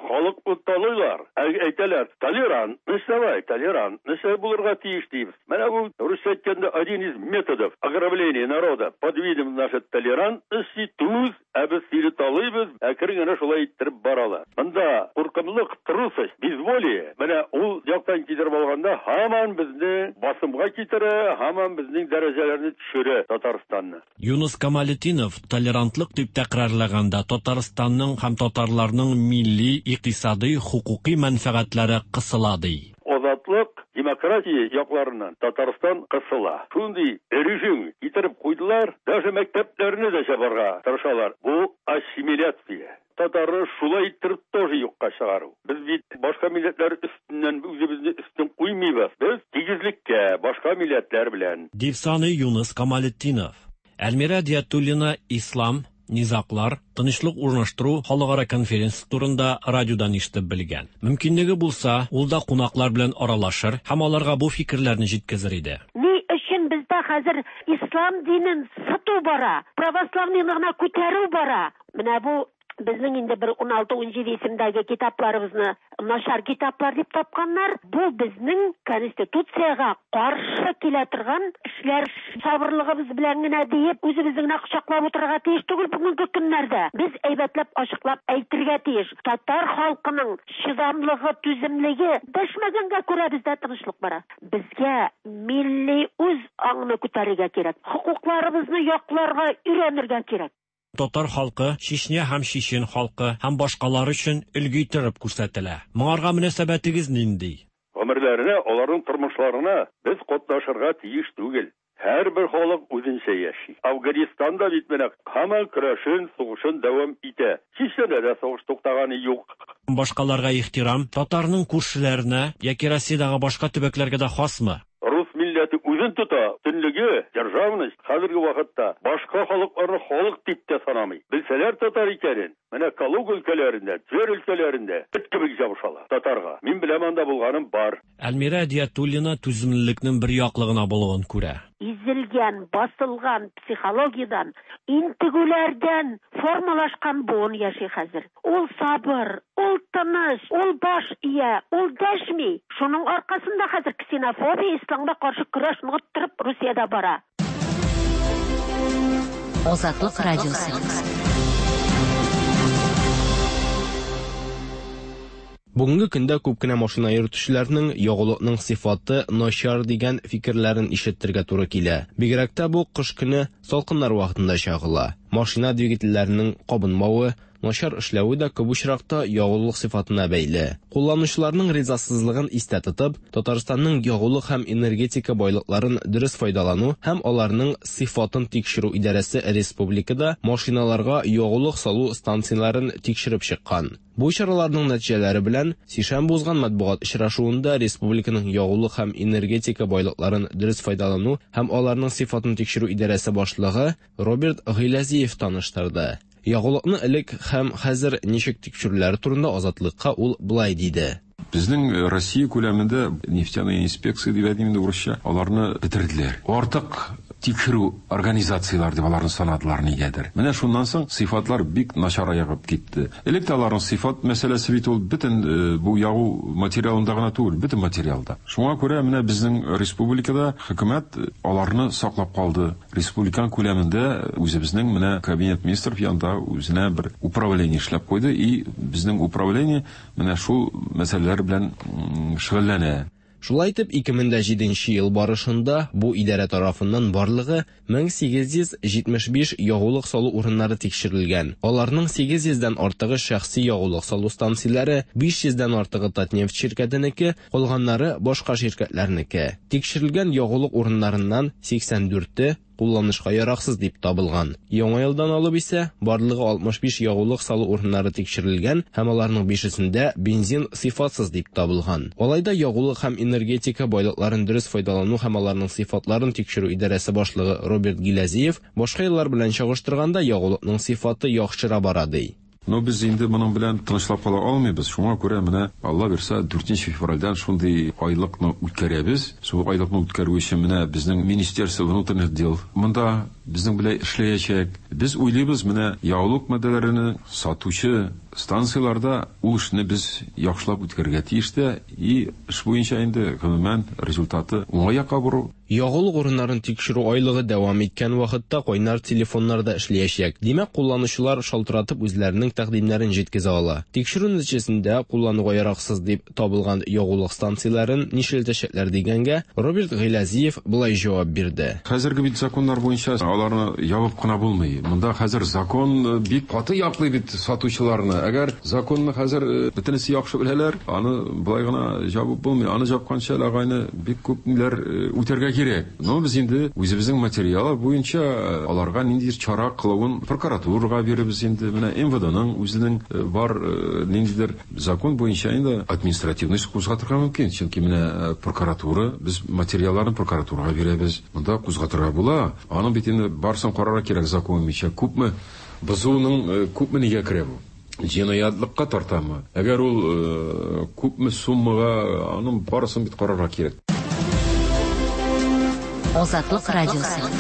халыкны талыйлар. Әйтәләр, толерантность давай, толерантность булырга тиеш дип. Менә бу русча әйткәндә один из методов ограбления народа под видом нашей толерантности туз, ә без сине талыйбыз, әкрен генә шулай иттереп баралар. Монда куркымлык, трусость, безволие. Менә ул яктан китереп алганда һаман безне басымга китерә, һаман безнең дәрәҗәләрне төшерә Татарстанны. Юнус Камалетдинов толерантлык дип тәкрарлаганда Татарстанның һәм татарларның милли, икътисади, хукуки мәнфәгатьләре кысыла ди. Азатлык, демократия якларыннан Татарстан кысыла. Шундый режим китереп куйдылар, даже мәктәпләрне дә чабарга тырышалар. Бу ассимиляция. Татарны шулай иттереп тоже юкка чыгару. Без бит башка милләтләр өстеннән үзебезне өстен куймыйбыз. Без тигезлеккә башка милләтләр белән. Дип саный Юнус Камалетдинов. Әлмирә Диятуллина ислам, низаклар, тынычлык урнаштыру халыкара конференция турында радиодан ишетеп белгән. Мөмкинлеге булса, ул да кунаклар белән аралашыр һәм аларга бу фикерләрне җиткезер иде. Ни өчен бездә хәзер ислам динен сату бара, православныйны гына күтәрү бара? Менә бу безнең инде бер ун алты-ун җиде исемдәге китапларыбызны начар китаплар дип тапканнар. Бу безнең конституциягә каршы килә торган эшләр. Сабырлыгыбыз белән генә диеп, үзебезне генә кочаклап утырырга тиеш түгел бүгенге көннәрдә. Без әйбәтләп, ачыклап әйтергә тиеш. Татар халкының чыдамлыгы, түземлеге дәшмәгәнгә күрә бездә тынычлык бара. Безгә милли үз аңны күтәрергә кирәк. Хокукларыбызны якларга өйрәнергә кирәк. Татар халкы, Чечня һәм Чечен халкы һәм башкалар өчен өлге иттереп күрсәтелә. Моңарга мөнәсәбәтегез нинди? Гомерләренә, аларның тормышларына без катнашырга тиеш түгел. Һәрбер халык үзенчә яши. Афганистанда бит менә һаман көрәшен, сугышын дәвам итә. Чечнядә дә сугыш туктаганы юк. Башкаларга ихтирам татарның күршеләренә яки Россиядәге башка төбәкләргә дә хасмы? Рус милләте үзен тота, төнлеге, державность хәзерге вакытта башка халыкларны халык дип тә санамый. Белсәләр татар икәнен, менә Калуга өлкәләрендә, Тверь өлкәләрендә эт кебек җабышалар татарга. Мин беләм, анда булганым бар. Әлмирә Диятуллина түземлелекнең бер яклы гына булуын күрә. Изелгән, басылган психологиядән, интегүләрдән формалашкан буын яши хәзер. Ул сабыр, ул тыныч, ул баш ия, ул дәшми. Шуның аркасында хәзер ксенофобия, исламга каршы көрәш ныгыттырып Русиядә бара. Азатлык радиосы. Бүгенге көндә күп кенә машина йөртүчеләрнең ягулыкның сыйфаты начар дигән фикерләрен ишетергә туры килә. Бигрәк тә бу кыш көне салкыннар вакытында чагыла. Машина двигательләренең кабынмавы, начар эшләве дә күп очракта ягулык сыйфатына бәйле. Кулланучыларның ризасызлыгын истә тотып, Татарстанның ягулык һәм энергетика байлыкларын дөрес файдалану һәм аларның сыйфатын тикшерү идарәсе республикада машиналарга ягулык салу станцияләрен тикшереп чыккан. Бу чараларның нәтиҗәләре белән сишәмбе узган матбугат очрашуында республиканың ягулык һәм энергетика байлыкларын дөрес файдалану һәм аларның сыйфатын тикшерү идарәсе башлыгы Роберт Гыйләзиев таныштырды. Ягулыкны элек һәм хәзер ничек тикшерүләре турында Азатлыкка ул былай диде. Безнең Россия күләмендә нефтяная инспекция дип әйтим инде урысча, аларны бетерделәр. Артык тикшерү организацияләр дип аларны санадылар нигәдер. Менә шуннан соң сыйфатлар бик начараеп китте. Элек тә аларның сыйфат мәсьәләсе бит ул бөтен бу ягу материалында гына түгел, бөтен материалда. Шуңа күрә менә безнең республикада хөкүмәт аларны саклап калды. Республиканың күләмендә үзебезнең менә кабинет министров янында үзенә бер управление эшләп куйды, и безнең управление менә шул мәсьәләләр белән шөгыльләнә. Шулай итеп, ике мең дә җиденче ел барышында бу идарә тарафыннан барлыгы мең сигез йөз җитмеш биш ягулык салу урыннары тикшерелгән. Аларның сигез йөздән артыгы шәхси ягулык салу станцияләре, биш йөздән артыгы Татнефть ширкәтенеке, калганнары башка ширкәтләрнеке. Тикшерелгән ягулык урыннарыннан сиксән дүрте кулланышка яраксыз дип табылган. Яңа елдан алып исә барлыгы алтмыш биш ягулык салу урыннары тикшерелгән һәм аларның бишесендә бензин сыйфатсыз дип табылган. Алай да ягулык һәм энергетика байлыкларын дөрес файдалану һәм аларның сыйфатларын тикшерү идарәсе башлыгы Роберт Гиләзиев башка еллар белән чагыштырганда ягулыкның сыйфаты яхшыра бара ди. Но без инде моның белән тынычлап кала алмыйбыз. Шуңа күрә менә Алла бирсә дүртенче февральдән шундый айлыкны үткәрәбез. Шул айлыкны үткәрү өчен менә безнең Министерство внутренних дел монда безнең белән эшләячәк. Без уйлыйбыз, менә ягулык матдәләрен сатучы станцияләрдә ул эшне без яхшылап үткәрергә тиеш тә, и эш буенча инде гомумән результаты уңай якка бору. Ягулык урыннарын тикшерү айлыгы дәвам иткән вакытта кайнар телефоннар да эшләячәк. Димәк, кулланучылар шалтыратып үзләренең тәкъдимнәрен җиткезә ала. Тикшерү нәтиҗәсендә куллануга яраксыз дип табылган ягулык станцияләрен нишләтәчәкләр дигәнгә Роберт Гыйләзиев болай җавап бирде. Хәзерге бит законнар буенча аларны ябып кына булмый. Монда хәзер закон бик каты яклый бит сатучыларны. Әгәр законны хәзер бөтенесе яхшы беләләр, аны болай гына ябып булмый. Аны жапканча агайны бик күп ниләр үтәргә кирәк. Но без инде үзебезнең материалы буенча аларга ниндидер чара кылуын прокуратурага бирәбез инде. Менә эм вэ дэ-ның үзенең бар ниндидер закон буенча инде административный эш кузгатырга мөмкин. Чөнки менә прокуратура, без материалларны прокуратурага бирәбез. Монда кузгатырга була. Аның бит инде барсын карарга кирәк закон буенча. Күпме бозуның күпме нигә керә бу? Җинаятьлыкка тартамы? Әгәр ул күпме суммага, аның барысын бит карарга кирәк. Азатлык радиосы.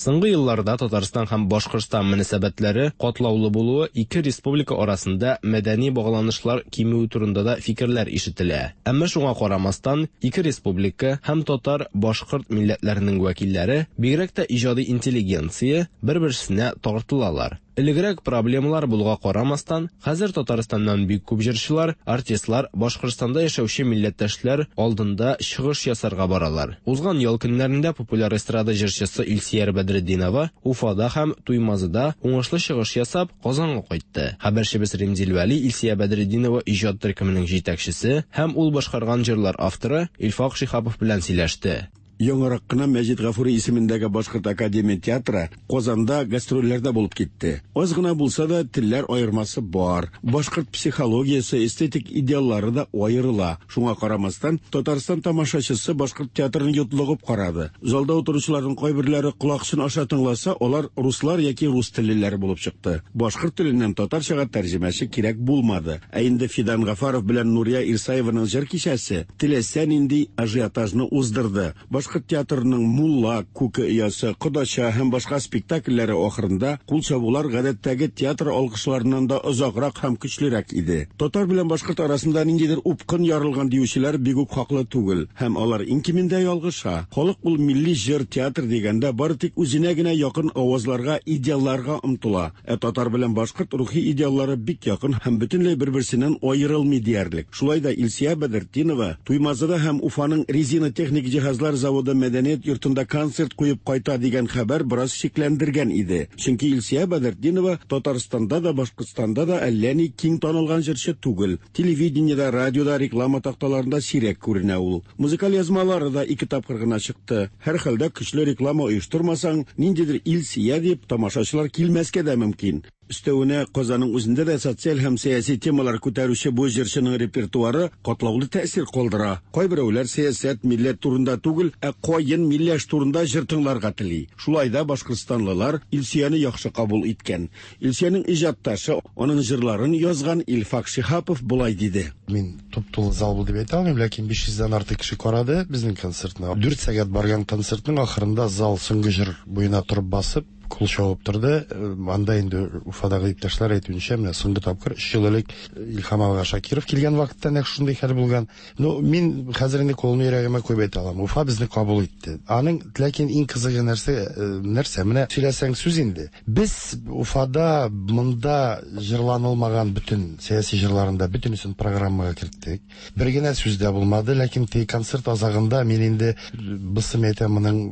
Соңгы елларда Татарстан һәм Башкортстан мөнәсәбәтләре катлаулы булуы ике республика арасында мәдәни багланышлар кимүе турында да фикерләр ишетелә. Әмма шуңа карамастан, ике республика һәм татар, башкорт милләтләренең вәкилләре, бигрәк тә иҗади интеллигенция бер-берсенә тартылалар. Элегрәк проблемалар булуга карамастан, хәзер Татарстаннан бик күп җырчылар, артистлар Башкортстанда яшәүче милләттәшләр алдында чыгыш ясарга баралар. Узган ял көннәрендә популяр эстрада җырчысы Илсөяр Бәдретдинова Уфада һәм Туймазыда уңышлы чыгыш ясап Казанга кайтты. Хәбәрчебез Римзил Вәли Илсөя Бәдретдинова иҗат төркеменең җитәкчесе һәм ул башкарган җырлар авторы Илфак Шиһапов белән сөйләште. Яңарак кына Мәҗит Гафури исемендәге Башкорт академия театры Казанда гастрольләрдә булып китте. Аз гына булса да телләр аермасы бар. Башкорт психологиясе, эстетик идеаллары да аерыла. Шуңа карамастан, Татарстан тамашачысы башкорт театрын йотлыгып карады. Залда утыручыларның кайберләре колакчын аша тыңласа, алар руслар яки рус теллеләре булып чыкты. Башкорт теленнән татарчага тәрҗемәче кирәк булмады. Ә инде Фидан Гафаров белән Нурия Ирсаеваның җыр кичәсе теләсә нинди ажиотажны уздырды. Башкорт театрының Мулла, Күке оясы, Кодача һәм башка спектакльләре ахырында кул чабулар гадәттәге театр алкышларыннан да озаграк һәм көчлерәк иде. Татар белән башкорт арасында ниндидер упкын ярылган диючеләр бик үк хаклы түгел, һәм алар иң кимендә ялгыша. Халык ул милли җыр театр дигәндә бары тик үзенә генә якын авазларга, идеалларга омтыла. Ә татар белән башкорт рухи идеаллары бик якын һәм бөтенләй бер-берсеннән аерылмый диярлек. Шулай да Илсөя Бәдретдинова Туймазыда һәм Уфаның резина техник җиһазлар заводы мәдәният йортында концерт куеп кайта дигән хәбәр бераз шикләндергән иде. Чөнки Илсөя Бәдретдинова Татарстанда да, Башкортстанда да әллә ни киң танылган җырчы түгел. Телевидениедә, радиода, реклама такталарында сирәк күренә ул. Музыкаль язмалары да ике тапкыр гына чыкты. Һәр хәлдә көчле реклама оештырмасаң, ниндидер Илсөя дип тамашачылар килмәскә дә мөмкин. Өстәвенә Казанның үзендә дә социаль һәм сәяси темалар күтәрүче бу җырчының репертуары катлаулы тәэсир калдыра. Кайберәүләр сәясәт, милләт турында түгел, ә каен, миләш турында җыр тыңларга тели. Шулай да башкортстанлылар Илсөяне яхшы кабул иткән. Илсөянең иҗатташы, аның җырларын язган Илфак Шиһапов болай диде. Мин туп-тулы зал булды дип әйтә алмыйм, ләкин биш йөздән артык кеше карады безнең концертны. Дүрт сәгать барган концертның ахырында зал соңгы җыр буена торып басып, кул чабып торды. Анда инде Уфадагы иптәшләр әйтүенчә, менә соңгы тапкыр өч ел элек Илһам ага Шакиров килгән вакытта нәкъ шундый хәл булган. Ну, мин хәзер инде кулымны йөрәгемә куеп әйтә алам. Уфа безне кабул итте. Аның ләкин иң кызыгы нәрсә, нәрсә? Менә сөйләсәң сүз инде. Без Уфада монда җырланылмаган бөтен сәяси җырларында бөтенесен программага керттек. Бер генә сүз дә булмады, ләкин теге концерт азагында мин инде бысым әйтәм, моның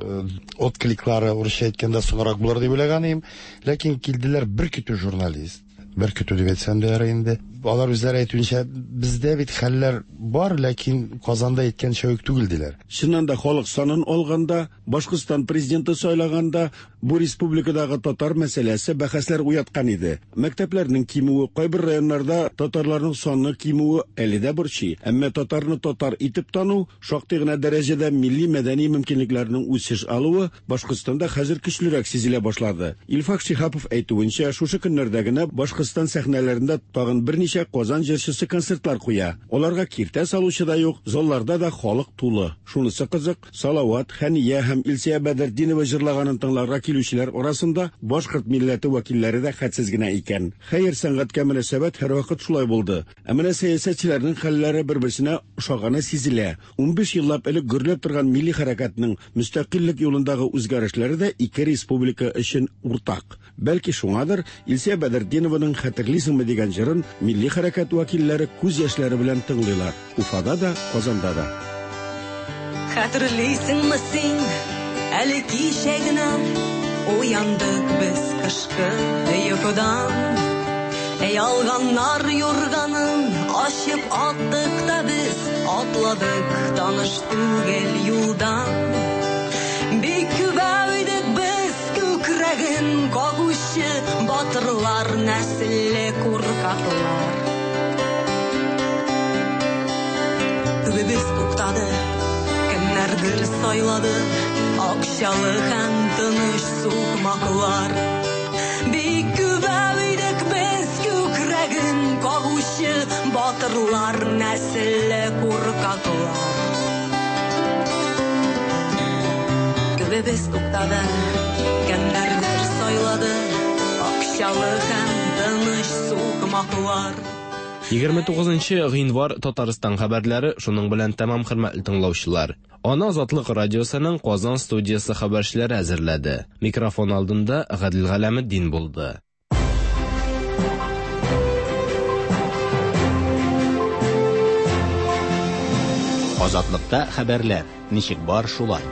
откликлары урысча әйткәндә соңрак булыр дип уйлаган идем. Ләкин килделәр бер көтү журналист, бер көтү дип әйтсәм дә ярый инде. Алар үзләре әйтүенчә, бездә бит хәлләр бар, ләкин Казанда әйткәнчә үк түгел диләр. Чыннан да халык санын алганда, Башкортстан президенты сайлаганда бу республикадагы татар мәсьәләсе бәхәсләр уяткан иде. Мәктәпләрнең кимүе, кайбер районнарда татарларның саны кимүе әле дә борчый. Әмма татарны татар итеп тану, шактый гына дәрәҗәдә милли мәдәни мөмкинлекләрнең үсеш алуы Башкортстанда хәзер көчлерәк сизелә башлады. Илфак Шиһапов әйтүенчә, шушы көннәрдә генә Башкортстан сәхнәләрендә тагын берничә Казан җырчысы концертлар куя. Аларга киртә салучы да юк, залларда да халык тулы. Шунысы кызык, Салават, Хәния һәм Илсөя Бәдретдинова җырлаганын тыңларга килүчеләр арасында башкорт милләте вәкилләре дә хәтсез генә икән. Хәер, сәнгатькә мөнәсәбәт һәрвакыт шулай булды. Ә менә сәясәтчеләрнең хәлләре бер-берсенә ошаганы сизелә. Унбиш еллап элек гөрләп торган милли хәрәкәтнең мөстәкыйльлек юлындагы үзгәрешләре дә ике республика өчен уртак. Бәлки шуңадыр Илсөя Бәдретдинованың «Хәтерлисеңме» дигән җырын милли хәрәкәт вәкилләре күз яшьләре белән тыңлыйлар. Уфада да, Казанда да. Хәтерлисеңме син, әле кичә генә уяндык без кышкы йокыдан. Ялганнар юрганын ачып аттык та без, атладык таныш түгел юлдан. Бик күбәү идек без, күкрәген кагучы батырлар, нәселле куркаклар. Күбебез туктады, кемнәрдер сайлады акчалы һәм тыныч сукмаклар. Бик күбәү идек без, күкрәген кагучы батырлар, нәселле куркаклар. Күбебез туктады, кемнәрдер сайлады акчалы һәм тыныч сукмаклар. егерме тугызынчы гыйнвар Татарстан хәбәрләре шуның белән тәмам, хөрмәтле тыңлаучылар. Аны Азатлык радиосының Казан студиясе хәбәрчеләре әзерләде. Микрофон алдында Гадил Галәметдин булды. Азатлыкта хәбәрләр ничек бар шулай.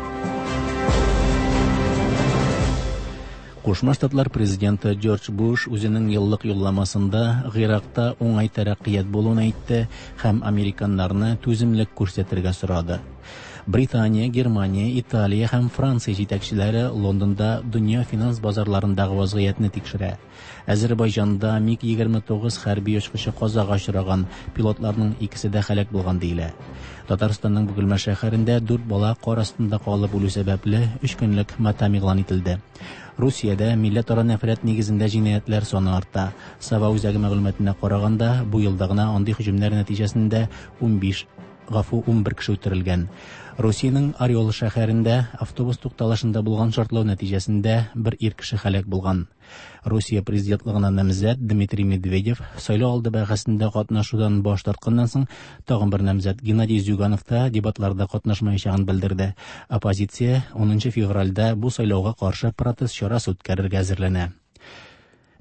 Кушма Штатлар президенты Джордж Буш үзенең еллык юлламасында Гыйракта уңай тәрәккыят булуын әйтте һәм американнарны түземлек күрсәтергә сорады. Британия, Германия, Италия һәм Франция җитәкчеләре Лондонда дөнья финанс базарларындагы вазгыятьне тикшерә. Азербайҗанда МиГ егерме тугыз хәрби очкычы казага очраган, пилотларның икесе дә һәлак булган диелә. Татарстанның Бөгелмә шәһәрендә дүрт бала кар астында калып үлү сәбәпле өч көнлек матәм игълан ителде. Русиядә милләтара нәфрәт нигезендә җинаятьләр саны арта. Сава үзәге мәгълүматына караганда, бу елда гына андый һөҗүмнәр нәтиҗәсендә унбиш, гафу, унбер кеше үтерелгән. Русиянең Орел шәһәрендә автобус тукталышында булган шартлау нәтиҗәсендә бер ир кеше һәлак булган. Русия президентлыгына намзәт Дмитрий Медведев сайлау алды бәхәсендә катнашудан баш тартканнан соң тагын бер намзәт Геннадий Зюганов та дебатларда катнашмаячагын белдерде. Оппозиция унынчы февральдә бу сайлауга каршы протест чарасы үткәрергә әзерләнә.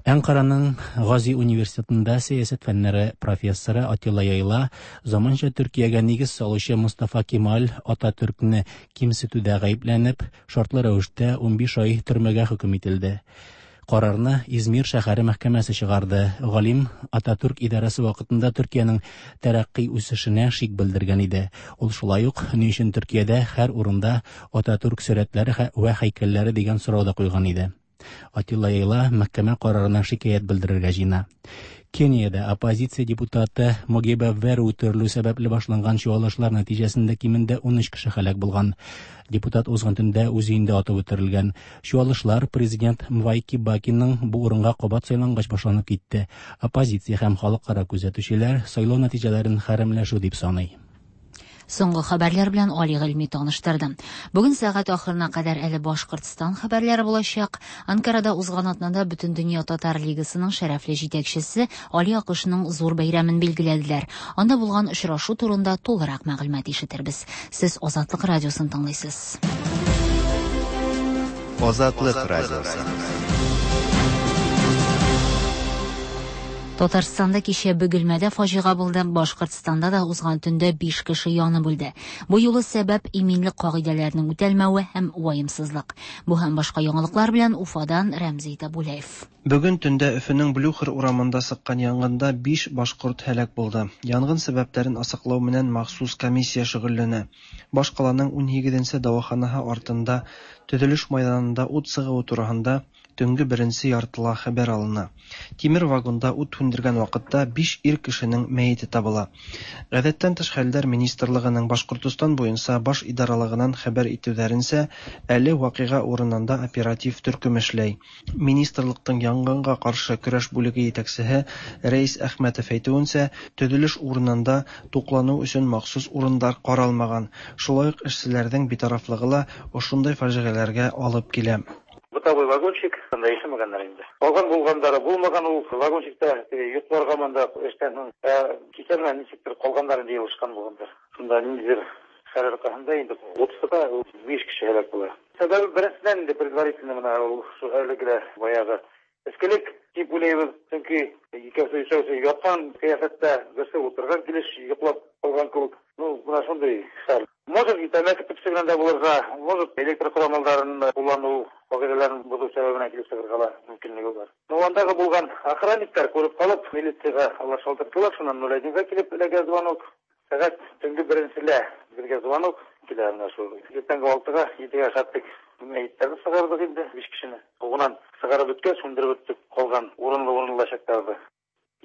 Әнкараның Гази университетында сәясәт фәннәре профессоры Атилла Яйла заманча Төркиягә нигез салучы Мустафа Кемаль Ататүркне кимсетүдә гаепләнеп, шартлы рәвештә унбиш ай төрмәгә хөкем ителде. Карарны Измир шәһәре мәхкәмәсе чыгарды. Галим Ататүрк идарәсе вакытында Төркиянең тәрәккый үсешенә шик белдергән иде. Ул шулай ук ни өчен Төркиядә һәр урында Ататүрк сурәтләре вә һәйкәлләре дигән сорау да куйган иде. Атилла Яйла мәхкәмә карарына шикаять белдерергә җыена. Кениядә оппозиция депутаты Могиба Веру үтерелү сәбәпле башланган чуалышлар нәтиҗәсендә кимендә ун өч кеше һәлак булган. Депутат узган төндә үз өендә атып үтерелгән. Чуалышлар президент Мвай Кибакиның бу урынга кабат сайлангач башланып китте. Оппозиция һәм халыкара күзәтүчеләр сайлау нәтиҗәләрен хәрәмләшү дип саный. Соңгы хәбәрләр белән Али Гыйльми таныштырды. Бүген сәгать ахырына кадәр әле Башкортстан хәбәрләре булачак. Анкарада узган атнада Бөтендөнья татар лигасының шәрәфле җитәкчесе Али Акышның зур бәйрәмен билгеләделәр. Анда булган очрашу турында тулырак мәгълүмат ишетербез. Сез Азатлык радиосын тыңлыйсыз. Азатлык радиосы. Татарстанда кичә Бөгелмәдә фаҗига булды. Башкортстанда да узган төндә биш кеше янып үлде. Бу юлы сәбәп иминлек кагыйдәләренең үтәлмәве һәм ваемсызлык. Бу һәм башка яңалыклар белән Уфадан Рәмзи Табулаев. Бүген төндә Өфөнең Блюхер урамында сыккан янгында биш башкорт һәлак булды. Янгын сәбәпләрен асыклау менән махсус комиссия шөгыльләнә. Башкаланың унһигеҙенсе дауаханаһы артында төҙөлөш майҙанында ут сығыуы тураһында төнге беренсе яртыла хәбәр алына. Тимер вагонда ут һүндергән ваҡытта биш ир кешенең мәйете табыла. Ғәҙәттән тыш хәлдәр министрлығының Башҡортостан буйынса баш идаралығынан хәбәр итеүҙәренсә, әле ваҡиға урынында оператив төркөм эшләй. Министрлыҡтың янгынға ҡаршы көрәш бүлеге етәксеһе Рәис Әхмәтов әйтеүенсә, төҙөлөш урынында туҡланыу өсөн махсус урындар ҡаралмаған. Шулай уҡ эшселәрҙең битарафлығы ла ошондай фажиғәләргә алып килә. Бытовой вагончик, анда ишемәгәннәр инде. Калган булгандары булмаган, ул вагончикта йокларга монда эштән соң, кичә менә ничектер калганнар инде елышкан булгандар. Шунда ниндидер хәл аркасында инде утызда биш кеше һәлак була. Сәбәбе беренсеннән инде предварительно менә ул шу әлеге баягы эскелек дип уйлыйбыз, чөнки икәүсе өчәүсе яткан кыяфәттә, берсе утырган килеш йоклап калган кебек. Ну, менә шундый хәл. Может, тәмәке төпсе белән дә булырга, может, электр корамалдарын куллану кагыйдәләрен бозу сәбәбенә килеп чыгарга ла мөмкинлеге бар. Ну, андагы булган охранниклар күреп калып, милициягә алар шалтырттылар, шуннан ноль одинга килеп эләгә звонок. Сәгать төнге беренселә безгә звонок килә менә шул. Иртәнге алтыга, җидегә хаттык. Мәйетләрне чыгардык инде, биш кешене. Угынан чыгарып беткәч, сүндереп беттек, калган урынлы-урынлы чактарды.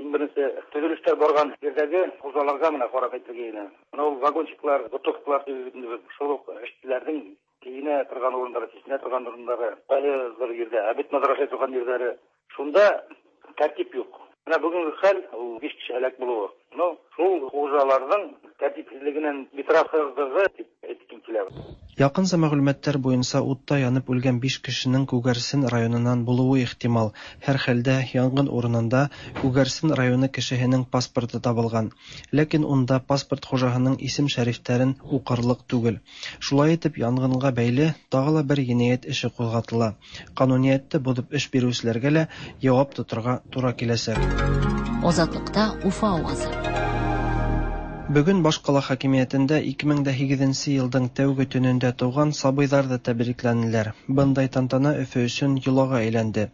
Иң беренче төзелешләр барган җирдәге хуҗаларга менә карап әйтергә генә. Менә ул вагончиклар, бутовкалар инде шул ук эшчеләрнең киенә торган урыннары, чишенә торган урыннары, әле бер җирдә, обед мәдрәсә торган җирләре. Шунда тәртип юк. Менә бүгенге хәл ул биш кеше һәлак булуы. Но шул хуҗаларның тәртипсезлегеннән битарафлыгы дип әйткем килә. Якынса мәгълүматлар буенча утта янып үлгән биш кешенең Күгәрсен районыннан булуы ихтимал. Һәр хәлдә янгын урынында Күгәрсен районы кешеһенең паспорты табылган. Ләкин унда паспорт хужаһының исем-шәрифтәрен уҡырлыҡ түгел. Шулай итеп, янгынға бәйле тағы ла бер енәйәт эше ҡуҙғатыла. Ҡануниәтте боҙоп эш биреүселәргә лә яуап тоторға тура киләсәк. Азатлыкта Уфа авазы. Бөгөн башҡала хакимиәтендә ике мең дә һигеҙенсе йылдың тәүге төнөндә тыуған сабыйҙар ҙа тәбрикләнеләр. Бындай тантана Өфө өсөн йолаға әйләнде.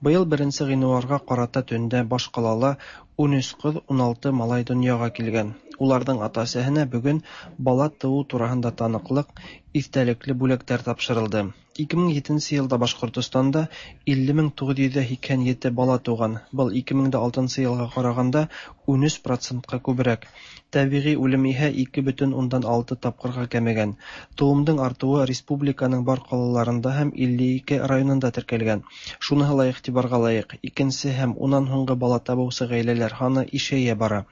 Быйыл беренсе ғинуарға ҡарата төндә башҡалала ун өс ҡыҙ, ун алты малай донъяға килгән. Уларҙың ата-әсәһенә бөгөн бала тыуыу тураһында таныҡлыҡ, иҫтәлекле бүләктәр тапшырылды. Ике мең етенсе йылда Башҡортостанда илле мең туғыҙ йөҙ һикһән ете бала тыуған. Был ике мең дә алтынсы йылға ҡарағанда ун өс процентҡа күберәк. Тәбиғи үлем иһә ике бөтөн ундан алты тапҡырға кәмегән. Тыуымдың артыуы республиканың бар ҡалаларында һәм илле ике районында теркәлгән. Шуныһы ла иғтибарға лайыҡ. Икенсе һәм унан һуңғы бала табыусы ғаиләләр һаны ишәйә бара.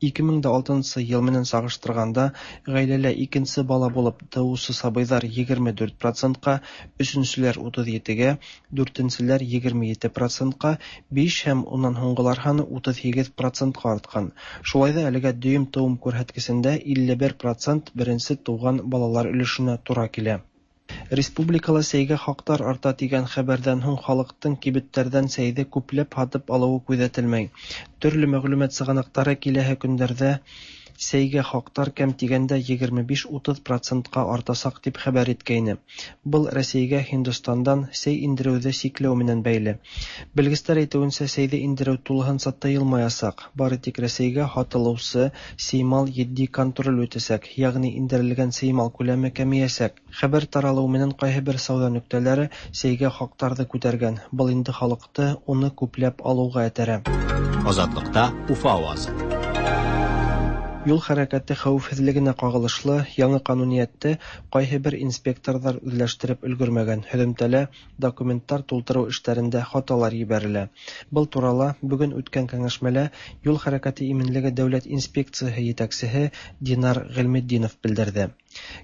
Ике мең дә алтынсы йыл менән сағыштырғанда ғаиләлә икенсе бала булып тыуыусы сабыйҙар егерме дүрт процентҡа, өсөнсөләр утыҙ етегә, дүртенселәр егерме ете процентҡа, биш һәм унан һуңғылар һаны утыҙ һигеҙ процентҡа артҡан. Шулай ҙа әлегә дөйөм тыуым күрһәткесендә илле бер процент беренсе тыуған балалар өлөшөнә тура килә. Республикала сәйгә хаҡтар арта тигән хәбәрҙән һуң халыҡтың кибеттәрҙән сәйҙе күпләп һатып алыуы күҙәтелмәй. Төрлө мәғлүмәт сығанаҡтары киләһе көндәрҙә Сәйгә хаҡтар кәм тигәндә егерме биш-утыҙ процентҡа артасаҡ тип хәбәр иткәйне. Был Рәсәйгә Һиндостандан сәй индереүҙе сикләү менән бәйле. Белгестәр әйтеүенсә, сәйҙе индереү тулыһынса тыйылмаясаҡ. Бары тик Рәсәйгә һатылыусы сеймал етди контроль үтәсәк, йәғни индерелгән сеймал күләме кәмейәсәк. Хәбәр таралыу менән ҡайһы бер сауҙа нөктәләре сәйгә хаҡтарҙы күтәргән. Был инде халыҡты уны күпләп алыуға этәрә. Азатлыкта Уфа авазы. Юл хәрәкәте хәүефһеҙлегенә ҡағылышлы яңы ҡануниәтте ҡайһы бер инспекторҙар үҙләштереп өлгөрмәгән. Һөҙөмтәлә документтар тултырыу эштәрендә хаталар ебәрелә. Был турала бөгөн үткән кәңәшмәлә юл хәрәкәте именлеге дәүләт инспекцияһы етәксеһе Динар Ғилметдинов белдерҙе.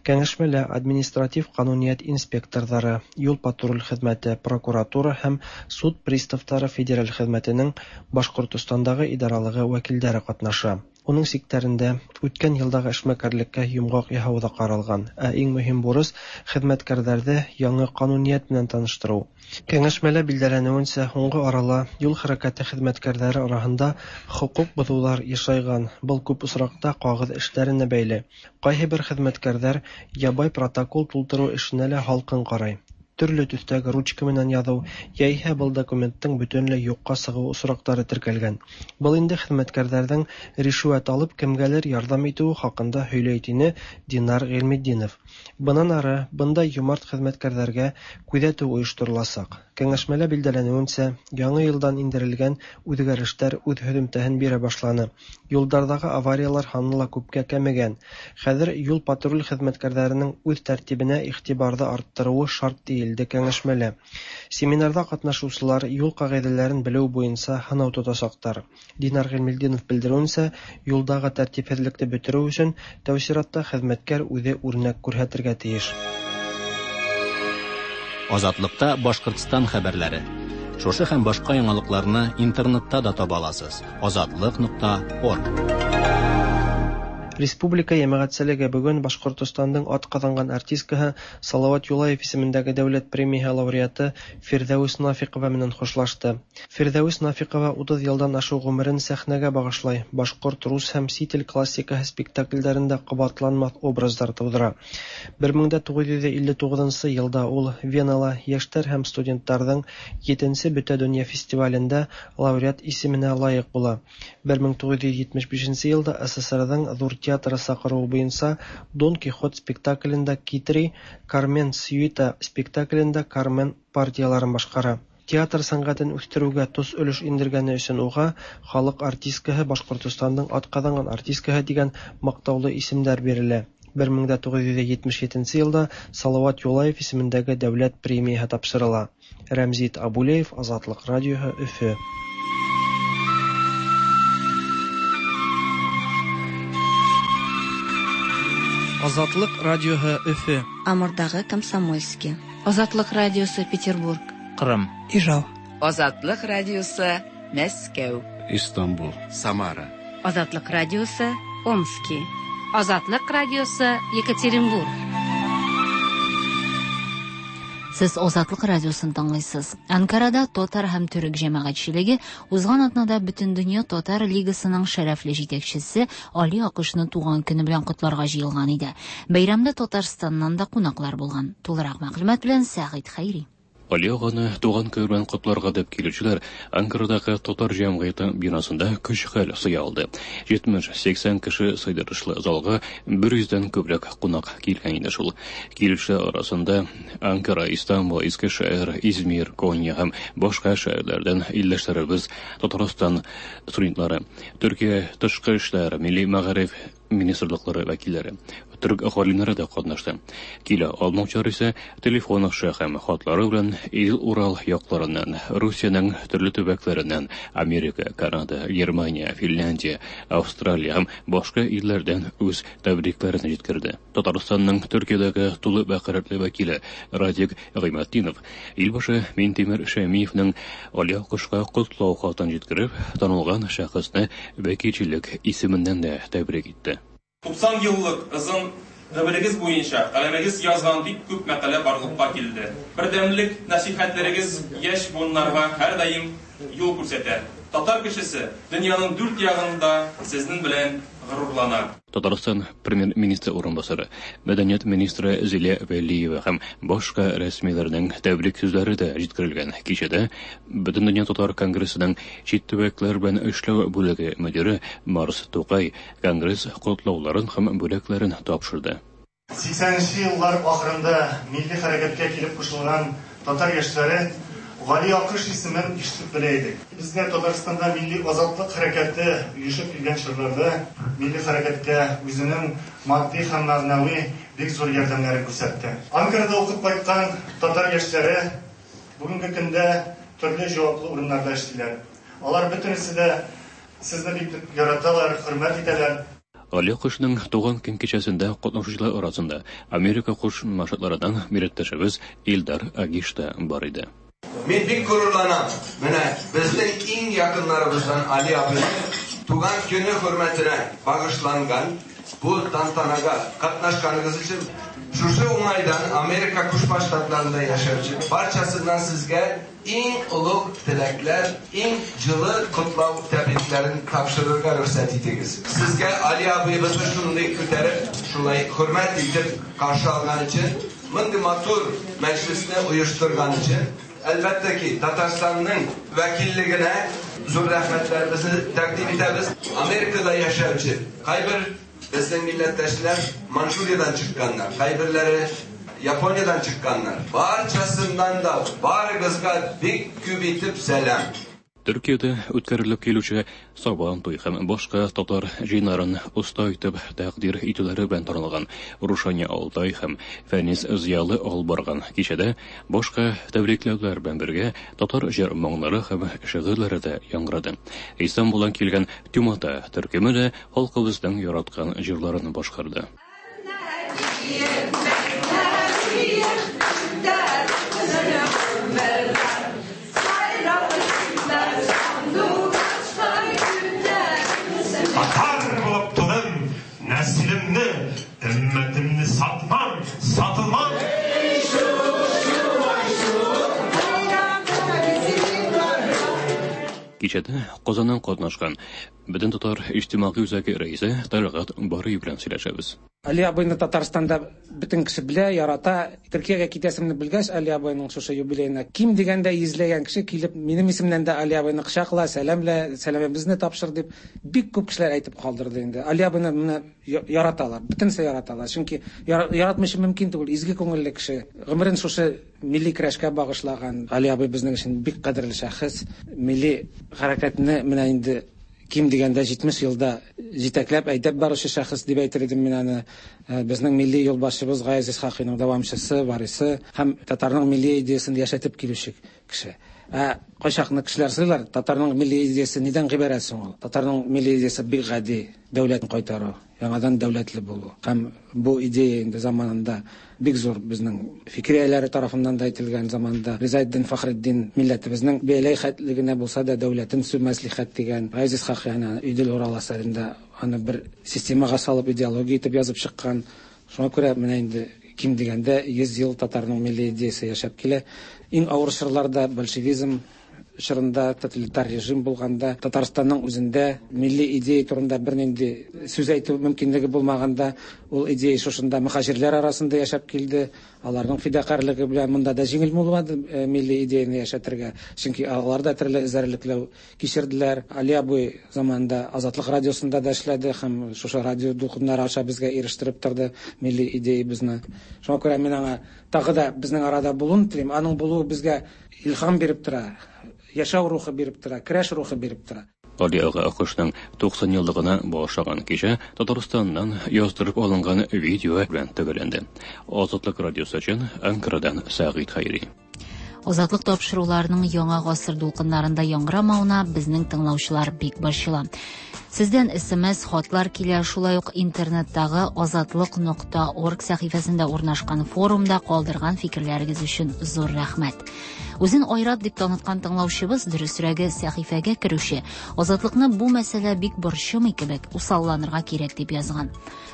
Кәңәшмәлә административ ҡануниәт инспекторҙары, юл патруль хеҙмәте, прокуратура һәм суд приставтары федераль хеҙмәтенең Башҡортостандағы идаралығы вәкилдәре ҡатнаша. Уның сиктәрендә үткән йылдағы эшмәкәрлеккә йомғаҡ яһау ҙа ҡаралған, ә иң мөһим бурыс хеҙмәткәрҙәрҙе яңы ҡануниәт менән таныштырыу. Кәңәшмәлә билдәләнеүенсә, һуңғы арала юл хәрәкәте хеҙмәткәрҙәре араһында хоҡуҡ боҙоуҙар йышайған. Был күп осраҡта ҡағыҙ эштәренә бәйле. Ҡайһы бер хеҙмәткәрҙәр ябай протокол тултырыу эшенә лә һалҡын ҡарай. Төрлө төҫтәге ручка менән яҙыу, йәиһә был документтың бөтөнләй юҡҡа сығыу осраҡтары теркәлгән. Был инде хеҙмәткәрҙәрҙең ришүәт алып кемгәлер ярҙам итеүе хаҡында һөйләй, тине Динар Ғилметдинов. Бынан ары бындай йомарт хеҙмәткәрҙәргә күҙәтеү ойоштороласаҡ. Кәңәшмәлә билдәләнеүенсә, яңы йылдан индерелгән үҙгәрештәр үҙ һөҙөмтәһен бирә башланы. Юлдарҙағы авариялар һаны ла күпкә кәмегән. Хәҙер юл патруль хеҙмәткәрҙәренең үҙ тәртибенә иғтибарҙы арттырыуы шарт тиелде кәңәшмәлә. Семинарҙа ҡатнашыусылар юл ҡағиҙәләрен белеү буйынса һынау тотасаҡтар. Динар Ғилметдинов белдереүенсә, юлдағы тәртипһеҙлекте бөтөрөү өсөн тәү сиратта хеҙмәткәр үҙе үрнәк күрһәтергә тейеш. Азатлыкта Башҡортостан хәбәрләре. Шушы һәм башҡа яңалыҡларны интернетта да таба аласыз. азатлык нуҡта орг. Республика йәмәғәтселеге бөгөн Башҡортостандың атҡаҙанған артисткаһы Салауат Юлаев исемендәге дәүләт премияһы лауреаты Фирҙәүес Нафиҡова менән хушлашты. Фирҙәүес Нафиҡова утыҙ йылдан ашыу ғүмерен сәхнәгә бағышлай, башҡорт, рус һәм сит ил классикаһы спектаклдәрендә ҡабатланмаҫ образдар тыуҙыра. бер мең дә туғыҙ йөҙ илле туғыҙынсы йылда ул Венала йәштәр һәм студенттарҙың етенсе Бөтә донъя фестивалендә лауреат исеменә лайыҡ була. бер мең туғыҙ йөҙ етмеш бишенсе йылда СССРҙың ҙур театры саҡырыуы буйынса Дон Кихот спектаклендә Китри, Кармен Сьюита спектаклендә Кармен партияларын башҡара. Театр сәнғәтен үҫтереүгә тос өлөш индергәне өсөн уға халыҡ артисткаһы, Башҡортостандың атҡаҙанған артисткаһы тигән маҡтаулы исемдәр бирелә. бер мең дә туғыҙ йөҙ етмеш етенсе йылда Салауат Юлаев исемендәге дәүләт премияһы тапшырыла. Рәмзит Абулеев, Азатлыҡ радиоһы, Өфө. Азатлык радиоһы, Өфө. Амурдағы Комсомольский. Азатлык радиосы, Петербург. Ҡырым. Ижау. Азатлык радиосы, Мәскәү. Истанбул. Самара. Азатлык радиосы, Омский. Азатлык радиосы, Екатеринбург. Сез Азатлык радиосын тыңлыйсыз. Анкарада татар һәм төрек җәмәгатьчелеге узган атнада Бөтендөнья татар лигасының шәрәфле җитәкчесе Али Акышны туган көне белән котларга җыелган иде. Бәйрәмдә Татарстаннан да кунаклар булган. Тулырак мәгълүмат белән Сәгыйть Хәйри. Али ағаны туған көне белән котларга дип килүчеләр Анкарадагы татар җәмгыяте бинасында көч-хәл сыя алды. җитмеш-сиксән кеше сыйдырышлы залга бер йөздән күбрәк кунак килгән иде шул. Килүчеләр арасында Анкара, Истанбул, Искешәһер, Измир, Конья һәм башка шәһәрләрдән илләшләребез, Татарстан студентлары, Төркия тышкы эшләр, милли мәгариф министрлыклары вәкилләре, төрк галимнәре дә катнашты. Килә алмаучылар исә телефон аша һәм хатлары белән Идел-Урал якларыннан, Русиянең төрле төбәкләреннән, Америка, Канада, Германия, Финляндия, Австралия һәм башка илләрдән үз тәбрикләрен җиткерде. Татарстанның Төркиядәге тулы вәкаләтле вәкиле Радик Гыйматдинов илбашы Минтимер Шәймиевнең Али Акышка котлау хатын җиткереп, танылган шәхесне вәкилчелек исеменнән дә тәбрик итте. Туксан еллык озын гомерегез буенча каләмегез язган бик күп мәкалә барлыкка килде. Бердәмлек нәсихәтләрегез яшь буыннарга һәрдаим юл күрсәтә. Татар кешесе дөньяның дүрт ягында сезнең белән горурлана. Татарстан премьер-министры урынбасары, мәдәният министры Зилә Вәлиева һәм башка рәсмиләрнең тәбрик сүзләре дә җиткерелгән. Кичәдә Бөтендөнья татар конгрессының чит төбәкләр белән эшләү бүлеге мөдире Марс Тукай конгресс котлауларын һәм бүләкләрен тапшырды. Сиксәненче еллар ахырында милли хәрәкәткә килеп кушылган татар яшьләре Гали Акыш исемен ишетеп белә идек. Безгә Татарстанда милли азатлык хәрәкәте оешып килгән чорларда милли хәрәкәткә үзенең матди һәм мәгънәви бик зур ярдәмнәрен күрсәтте. Анкарада укып кайткан татар яшьләре бүгенге көндә төрле җаваплы урыннарда эшлиләр. Алар бөтенесе дә сезне бик яраталар, хөрмәт итәләр. Гали Акышның туган көн кичәсендә катнашучылар арасында Америка Кушма Штатларыннан милләттәшебез Илдар Агиш та бар иде. Мин бик горурланам. Менә безнең иң якыннарыбыздан Али абыйның туган көне хөрмәтенә багышланган бу тантанага катнашканыгыз өчен шушы уңайдан Америка Кушма Штатларында яшәүче барчасыннан сезгә иң олуг теләкләр, иң җылы котлау тәбрикләрен тапшырырга рөхсәт итегез. Сезгә Али абыебызны шундый күтәреп, шулай хөрмәт итеп каршы алган өчен, мондый матур мәҗлесне оештырган өчен, әлбәттә ки, Татарстанның вәкиллегенә зур рәхмәтләребезне тәкъдим итәбез. Америкада яшәүче кайбер безнең милләттәшләр Манчжуриядән чыкканнар, кайберләре Япониядән чыкканнар. Барчасыннан да барыгызга бик күп итеп сәлам. Төркиядә үткәрелеп килүче Сабан туй һәм башка татар җыеннарын оста итеп тәкъдир итүләре белән танылган Рушания Алтай һәм Фәнис Зыялы алып барган кичәдә башка тәбрикләүләр белән бергә татар җыр моңнары һәм шигырьләре дә яңгырады. Истанбулдан килгән Тюмата төркеме дә халкыбызның яраткан җырларын башкарды. Татар булып тудым, нәселемне, өммәтемне сатмам, сатылмам. Кичәдә Казаннан катнашкан Бөтен татар иҗтимагый үзәге рәисе Талгат Барый белән сөйләшәбез. Али абыйны Татарстанда бөтен кеше белә, ярата. Төркиягә китәсемне белгәч, Али абыйның шушы юбилеена ким дигәндә йөзләгән кеше килеп, минем исемнән дә Али абыйны кочакла, сәламлә, сәламебезне тапшыр дип бик күп кешеләр әйтеп калдырды инде. Али абыйны менә яраталар, бөтенесе яраталар. Чөнки яратмыйча мөмкин түгел, изге күңелле кеше. Гомерен шушы милли көрәшкә багышлаган Али абый безнең өчен бик кадерле шәхес. Милли хәрәкәтне менә инде ким дигәндә җитмеш елда җитәкләп әйдәп баручы шәхес дип әйтер идем мин аны. Безнең милли юлбашчыбыз Гаяз Исхакыйның дәвамчысы, варисы һәм татарның милли идеясын яшәтеп килүче кеше. Ә кайчакны кешеләр сорыйлар, татарның милли идеясы нидән гыйбарәт соң ул? Татарның милли идеясы бик гади, дәүләтен кайтару, яңадан дәүләтле булу. Һәм бу идея инде заманында бик зур безнең фикер ияләре тарафыннан да әйтелгән заманда Ризаэддин Фәхретдин милләтебезнең бәйләй хәтлегенә булса да дәүләтен сү мәслихәт дигән, Гаяз Исхакый аны Идел Урал әсәрендә аны бер системага салып идеология итеп язып чыккан. Шуңа күрә менә инде ким дигәндә йөз ел татарның милли идеясы яшәп килә. Иң авыр чорларда большевизм чорында, тоталитар режим булганда, Татарстанның үзендә милли идея турында бернинди сүз әйтү мөмкинлеге булмаганда, ул идея шушында мөхаҗирләр арасында яшәп килде. Аларның фидакарьлыгы белән монда да җиңел булмады милли идеяны яшәтергә, чөнки алар да төрле эзәрлекләү кичерделәр. Али абый заманында Азатлык радиосында да эшләде һәм шушы радио дулкыннары аша безгә ирештереп торды милли идеябезне. Шуңа күрә мин аңа тагы да безнең арада булуын телим. Аның булуы безгә илһам биреп тора, яшәү рухы биреп тора, көрәш рухы биреп тора. Гали ага Акышның туксан еллыгына багышланган кичә Татарстаннан яздырып алынган видео белән төгәлләнде. Азатлык радиосы өчен Анкарадан Сәгыйть Хәйри. Азатлык тапшыруларының яңа гасыр дулкыннарында яңгырамавына безнең тыңлаучылар бик борчыла. Сездән эс эм эс хатлар килә, шулай ук интернеттагы азатлык нокта орг сәхифәсендә урнашкан форумда калдырган фикерләрегез өчен зур рәхмәт. Үзен Айрат дип таныткан тыңлаучыбыз, дөресрәге сәхифәгә керүче, Азатлыкны бу мәсьәлә бик борчымый кебек, усалланырга кирәк дип язган.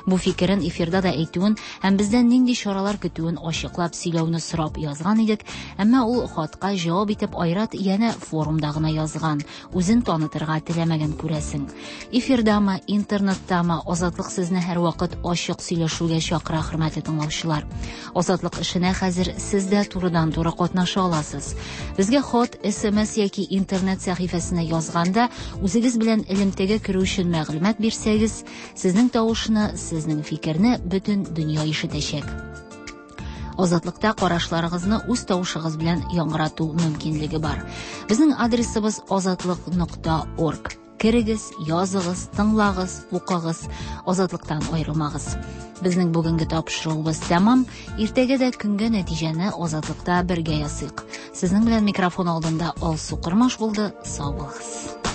Бу фикерен эфирда да әйтүен һәм бездән нинди чаралар көтүен ачыклап сөйләүне сорап язган идек, әмма ул хатка җавап итеп Айрат янә форумда гына язган, үзен танытырга теләмәгән күрәсең. Эфирдамы, интернеттамы, Азатлык сезне һәрвакыт ачык сөйләшүгә чакыра, хөрмәтле тыңлаучылар. Азатлык эшенә хәзер сез дә турыдан-туры катнаша аласыз. Безгә хат, С М С яки интернет сәхифәсенә язганда үзегез белән элемтәгә керү өчен мәгълүмат бирсәгез, сезнең тавышны, сезнең фикерне бөтен дөнья ишетәчәк. Азатлыкта карашларыгызны үз тавышыгыз белән яңгырату мөмкинлеге бар. Безнең адресыбыз азатлык нокта орг. Керегез, языгыз, тыңлагыз, укыгыз, Азатлыктан аерылмагыз. Безнең бүгенге тапшыруыбыз тәмам. Иртәгә дә көнгә нәтиҗәне Азатлыкта бергә ясыйк. Сезнең белән микрофон алдында Алсу Кормаш булды. Сау булыгыз.